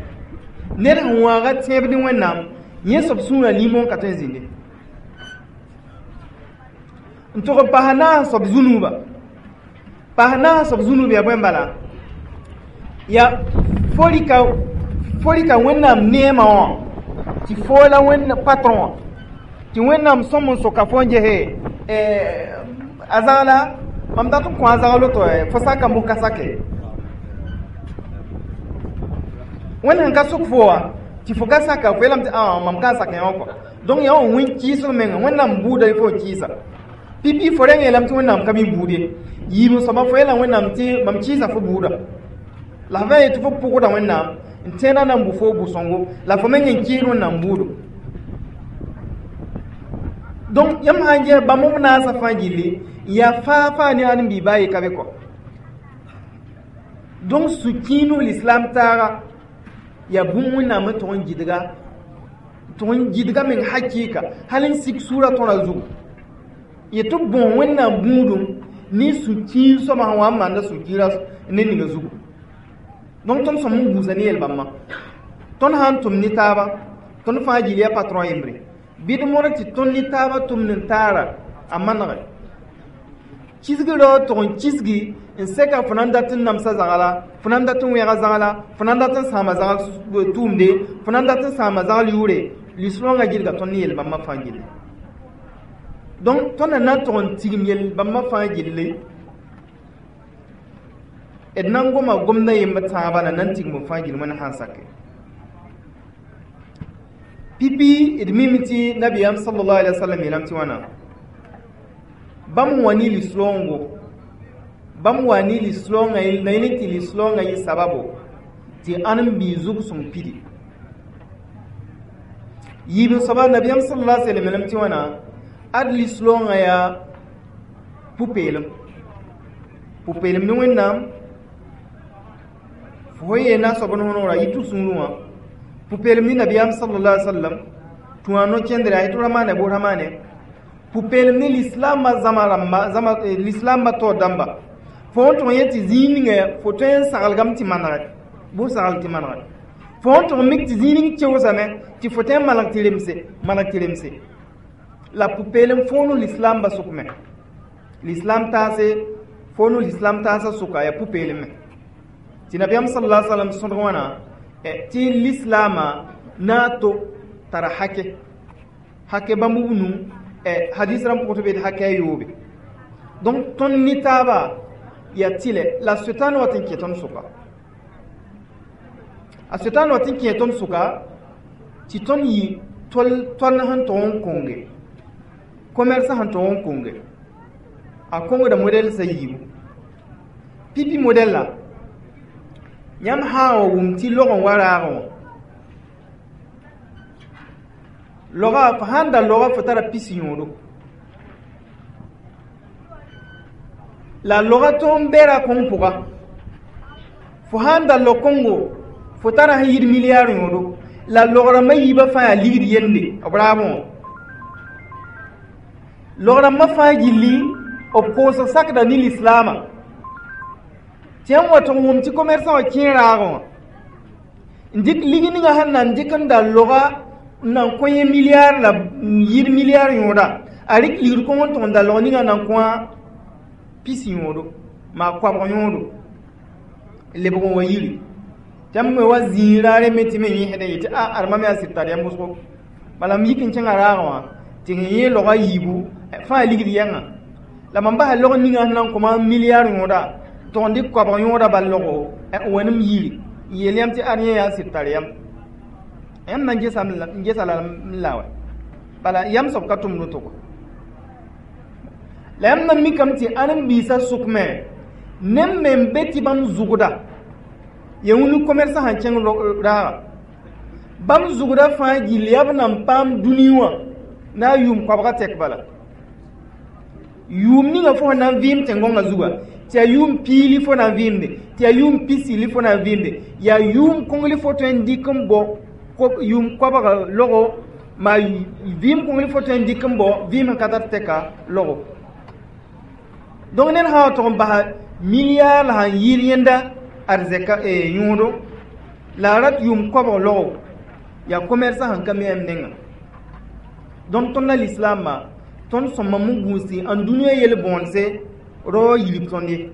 ned sẽn wãaga tẽeb ne Wẽnnaam, yẽ soab sũurã limong ka tõe n zĩnde. N tʋg n pas naas soab zũnuuba. Pas naas soab zũnuub yaa bõe n bala? Yaa fo rɩka Wẽnnaam neemã wã tɩ fo la Wẽnd patron wã, tɩ Wẽnnaam sõm n soka fo n gese a zagla, mam dat n kõ a zagl woto, fo saka mos ka sake. Wẽnd sẽn ka sok fo wã tɩ fo ka saka, fo yeelame tɩ ã mam ka n sak yã wã kɔa. Donc yaa wã wẽn kɩɩsg menga, Wẽnnaam buuda fo n kɩɩsa. Pipi fo rẽng yeelame tɩ Wẽnnaam ka mi buud ye. Yiib n soaba fo yeela Wẽnnaam tɩ mam kɩɩsa fo buuda. La f yetɩ fo pʋgda Wẽnnaam n tẽeda na n bʋ fo bu-sõngo, la fo meng n kɩɩs Wẽnnaam buudo. Donc yãmb sã n ges bãmb b naasã fãa gilli, n yaa faa faa ne ãdem-biig baa ye ka be kɔ. Donc sũ-kiinus l'islam taaga yaa bũmb Wẽnnaam n tʋg n gɩdga, tʋg n gɩdga meng hakɩɩka, hal n sik sũurã tõra zugu. Yetɩ b bõo Wẽnnaam bũudum ne sũ-kiir soabã sẽn wa n maanda sũ-kiirã ne ninga zugu. Donc tõnd sõm n gũusa ne yel-bãmbã. Tõnd sã n tʋm ne taaba, tõnd fãa gil yaa patron yembre. Bɩ d mõr tɩ tõnd ne taabã tʋmd n taara a manege. Kisg rao tʋg n kisgi n sɛka fo na n dat n namsa zagla, fo na n dat n wẽga zagla, fo na n dat n sãama zagl tʋʋmde, fo na n dat n sãama zagl yʋʋre, lislaongã gilga tõnd ne yel-bãmbã fãa gilli. Donc tõnd na n tʋg n tigim yel-bãmbã fãa gilli, d na n goma gomdã yemb tãabã la na n tigim b fãa gill Wẽnd sãn sake. Pipi d mime tɩ nabiyaam sallallahu alaihi wasallam yeelame tɩ wãna, bãmb wa ne lislaoongo, bãmb wa ne lislaoongã la yẽ tɩ lislaoongã yɩ sababo tɩ ãdem-biig zug-sõng pidi. Yiib n soaba nabiyaam sallallahu alaihi wasallam yeelame tɩ wãna, ad lislaoongã yaa pʋ-peelem. Pʋ-peelem ne Wẽnnaam, fo yeena soab n võnora yɩ tɩ sũurẽ wã. Pʋ-peelem ne nabiyaam sallallahu alaihi wasallam, tũ a no-kẽndre a yetɩ ramaane bʋ ramaane. Pʋ-peelem ne lislaambã zãma rãmba, zãma lislaambã taoor dãmba. Fo n tʋg n yet tɩ zĩig ninga fo tõe n saglgame tɩ manege. Bʋ sagl tɩ manega fo sẽn tʋg n mik tɩ zĩig ning keoosame tɩ fo tõe n maneg tɩ remse, maneg tɩ remse la pʋ-peelem foonu lislaambã sʋk me. Lislaam taase foonu lislaam taasã sʋka yaa pʋ-peelem me tɩ nabiyaam sal la salam sõdg wãna tɩ lislaamã na n to tara hake hake bãmb b nu hadis rãmb pʋgẽ tɩ be tɩ hake a yoobe. Donc tõnd ne taaba yaa tɩlɛ la Sʋtãan wat n kẽ tõnd sʋka, a Sʋtãan wat n kẽ tõnd sʋka tɩ tõnd yɩ tol tõnd sẽn tog n konge commerce, sẽn tog n konge a kongda modɛl sa yiibu pipi modɛl la yãmb sã n wa wʋm tɩ log n wa raagẽ wã loga fo sãn da loga fo tara pis yõodo la loga tõn bɛra kõng pʋga fo sãn da log kongo fo tara sẽn yid milliard yõodo la logrãmbã yiibã fãa yaa ligd yende b raabẽ wã logrãmbã fãa gilli b koosg sakda ne lislaamã tɩ yãmb wa tɩg wʋm tɩ commerçant wã kẽ raagẽ wã n dɩk lig ninga sẽn na n dɩk n da loga n nan kõ yẽ milliard la yid milliard yõoda a rɩk ligd kõng n tʋg n da log ninga nan kõ pis yõodo maa koabg yõodo lebg n wa yiri tɩ yãmb me wa zĩig raare me tɩ me yẽsd n yetɩ a adma me yaa sɩd tar yãmb wʋsgo bala m yik n kẽngã raagẽ wã tɩ sẽn yẽ loga yiibu fãa ligd yɛngã la mam basa log ninga sẽn na n kõma milliard yõoda tʋg n dɩk koabg yõoda bal logo n wa nem yiri n yeel yãmb tɩ ad yẽ yaa sɩd tar yãmb yãmb na n gesa la n la wa bala yãmb soab ka tʋmd woto kɔ la yãmb na mikame tɩ ãdem-biisã sʋk me neb me n be tɩ bãmb zʋgda ya wĩnu commerçant sẽn kẽng raaga bãmb zʋgda fãa gill yaa b nan paam dũni wã na a yʋʋm koabga tɛk bala yʋʋm ninga fo sẽn na n vɩɩm tẽn-gõngã zuga tɩ yaa yʋʋm piili fo na n vɩɩmde tɩ yaa yʋʋm pisili fo na n vɩɩmde yaa yʋʋm kõngli fo tõe n dɩk n bao yʋʋm koabga logo maa vɩɩm kõngli fo tõe n dɩk n bao vɩɩm sẽn ka tar tɛka logo. Donc ned sã wa tʋg n basa milliard la sãn yɩɩd yẽnda arzɛka yõodo la a rat yʋʋm koabg logo yaa commerçant sẽn ka mi yãmb nengã. Donc tõnd la lislaambã tõnd sõma n gũusi n dũniyã yel-bõonse rao yilib tõnd ye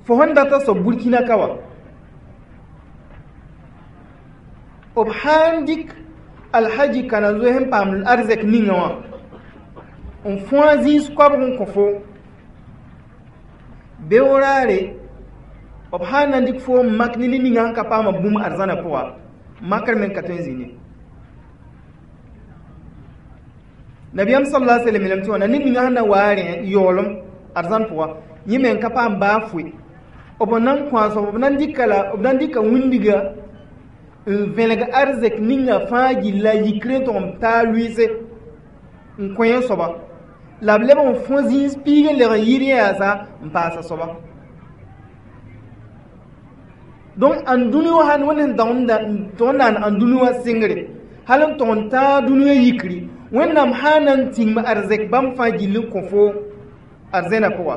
fo sẽn data soab Burkina ka wa b sãn dɩk alhaji kana zoe sẽn paam arzɛk ninga wã n fõa zĩis koabg n kõ fo beoraare b sãn na n dɩk fo n mak ne ned ninga sẽn ka paama bũmb arzãnã pʋga makr me n ka tõe n zĩnd ye. Nabiyaam sallallahu alaihi wasallam tɩ wãna ned ninga sẽn na wa a rẽ yaoolem arzãn pʋga yẽ me n ka paam baa foe b na n kõ a soab b na n dɩka la b na n dɩka wĩndiga n vẽlg arzɛk ninga fãa gilla yikr n tʋg n taa lʋɩɩse n kõ yẽ soaba la b leb n fõ zĩis piig n leg n yɩɩd yẽ yaasa n paas a soaba. Donc ãn dũni wã sãn wẽnd sẽn tʋg n naan ãn dũni wã sɩngre hal n tʋg n tãag dũniyã yikri Wẽnnaam sã na n tiŋm arzɛk bãmb fãa gill n kõ fo arzẽnã pʋga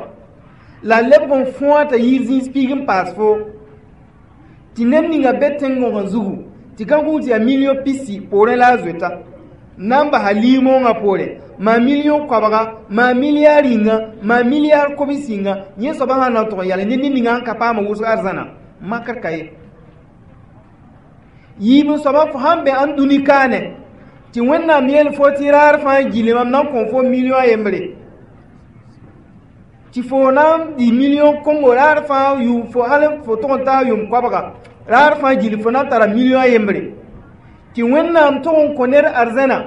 la lebg n fõa t'a yɩɩd zĩis piig n paas fo tɩ ned ninga be tẽn-gõgã zugu tɩ ka gũus yaa million pisi poorẽ la a zoeta na n basa liimoongã poore maa million koabga maa milliard yĩnga maa milliard kobs yĩnga yẽ soabã sã na n tʋg n yale ne ned ninga sẽn ka paama wʋsg arzãna makr ka ye yiib n soaba fo sãn be ãn dũni kaane tɩ Wẽnnaam yeel fo tɩ raar fãa gilli mam na n kõ fo million a yembre tɩ fo na n dɩ million kongo raar fãa yʋʋm fo hal fo tʋg n taa yʋʋm koabga raar fãa gilli fo na n tara million a yembre tɩ Wẽnnaam tʋg n kõ ned arzãna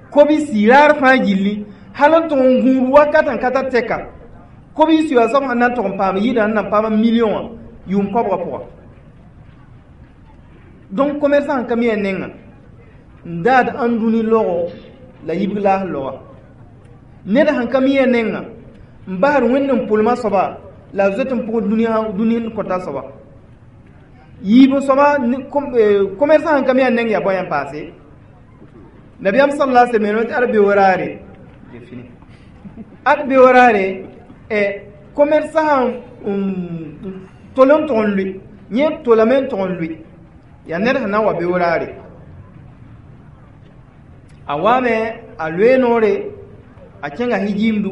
kobisi raar fãa gilli hal n tʋg n gũud wakat n ka tar tɛka kobisi wã soab sẽn na n tʋg n paam yɩɩda n na n paam million wã yʋʋm koabgã pʋga. Donc commerçant sẽn ka mi a nengã n daad ãn dũni logo la yibg laas loga ned sẽn ka mi a nengã n basd Wẽnd n pʋlma soaba la a zoet n pʋgd dũni n kõta soaba yiib n soaba commerçant sẽn ka mi a neng yaa bõe n paase nabiyaam sallallahu alaihi wasallam tɩ ad beoraare ad beoraare commerçant sẽn Tol n tʋg n lʋɩ yẽ tolame n tʋg n lʋɩ yaa ned sẽn na n wa beoraare a waame a loe noore a kẽnga hijiimdu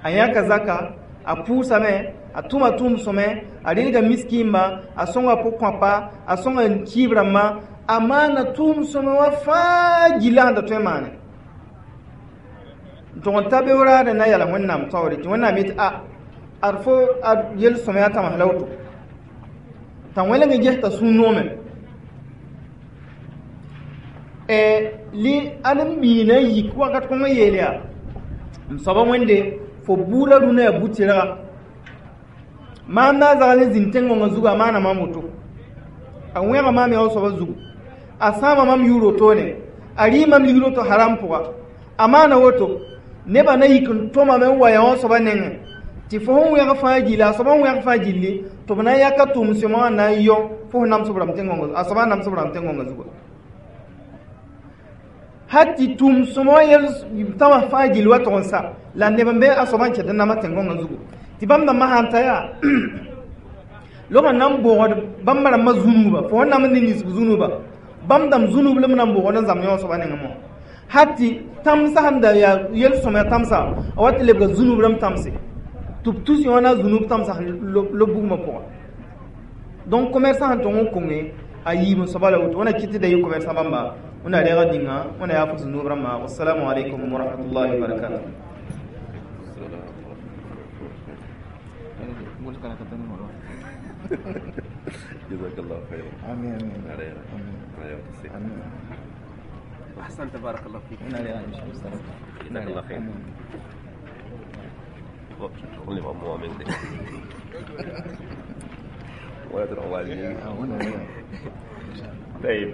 a yãka zaka a pʋʋsame a tʋma tʋʋm sõme a rɩlga miskiimba a sõnga pʋg-kõapa a sõnga kiib rãmba a maana tʋʋm sõme wã fãa gilla sẽn da tõe n maane n tʋg n ta beoraadẽ na yala Wẽnnaam taoore tɩ Wẽnnaam yetɩ a ad fo ad yel-sõmyã tãms la woto t'a wẽlg n ges t'a sũ-noome li ad n biina yik wakat kõng n yeel yaa m soaba Wẽnde fo buudã rũnã yaa bu-tɩrga maam na a zagl n zĩnd tẽn-gõngã zugu a maana maam woto a wẽga maam yaa soaba zugu a sãama mam yʋʋr wotone a rɩ mam ligd woto haram pʋga a maana woto nebã na yik n tõmame n wa yaa wã soaba nengẽ tɩ fo sẽn wẽg fãa gilli a soaba n wẽg fãa gilli tɩ b na n yaka tʋʋm sõma wã na n yõ fo sẽn namsb rãmb tẽn-gõngã a soaba namsb rãmb tẽn-gõngã zuga hal tɩ tʋʋm sõma wã yel tãmã fãa gill wa tʋg n sa la neb n be a soaba n ket n nama tẽn-gõngã zugu tɩ bãmb dãmbã sã n ta yaa lobã na n bʋgd bãmb rãmbã zũnuuba fo sẽn nam n ne ninsb zũnuuba bãmb dãmb zũnub la m na n bʋgd n zãmb yõ soaba nengẽ mõ hal tɩ tãmsã sẽn da yaa yel-sõmyã tãmsa a wa tɩ lebga zũnub rãmb tãmse tɩ b tus yõ na zũnub tãmsã lob bugmã pʋga donc commerçant sẽn tʋg n kõnge a yiib n soaba la woto wẽna kɩt tɩ da yɩ commerçant bãmba wẽna rɛɛga dĩnga wẽna yaa fo zũnub rãmba. Wassalamu alaikum wa rahmatullahi wa barakatuh. جزاك الله خيرا. آمين آمين. آمين. أحسنت بارك الله فيك. جزاك الله خير. طيب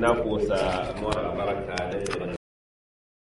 na pʋʋsa moorã baraka da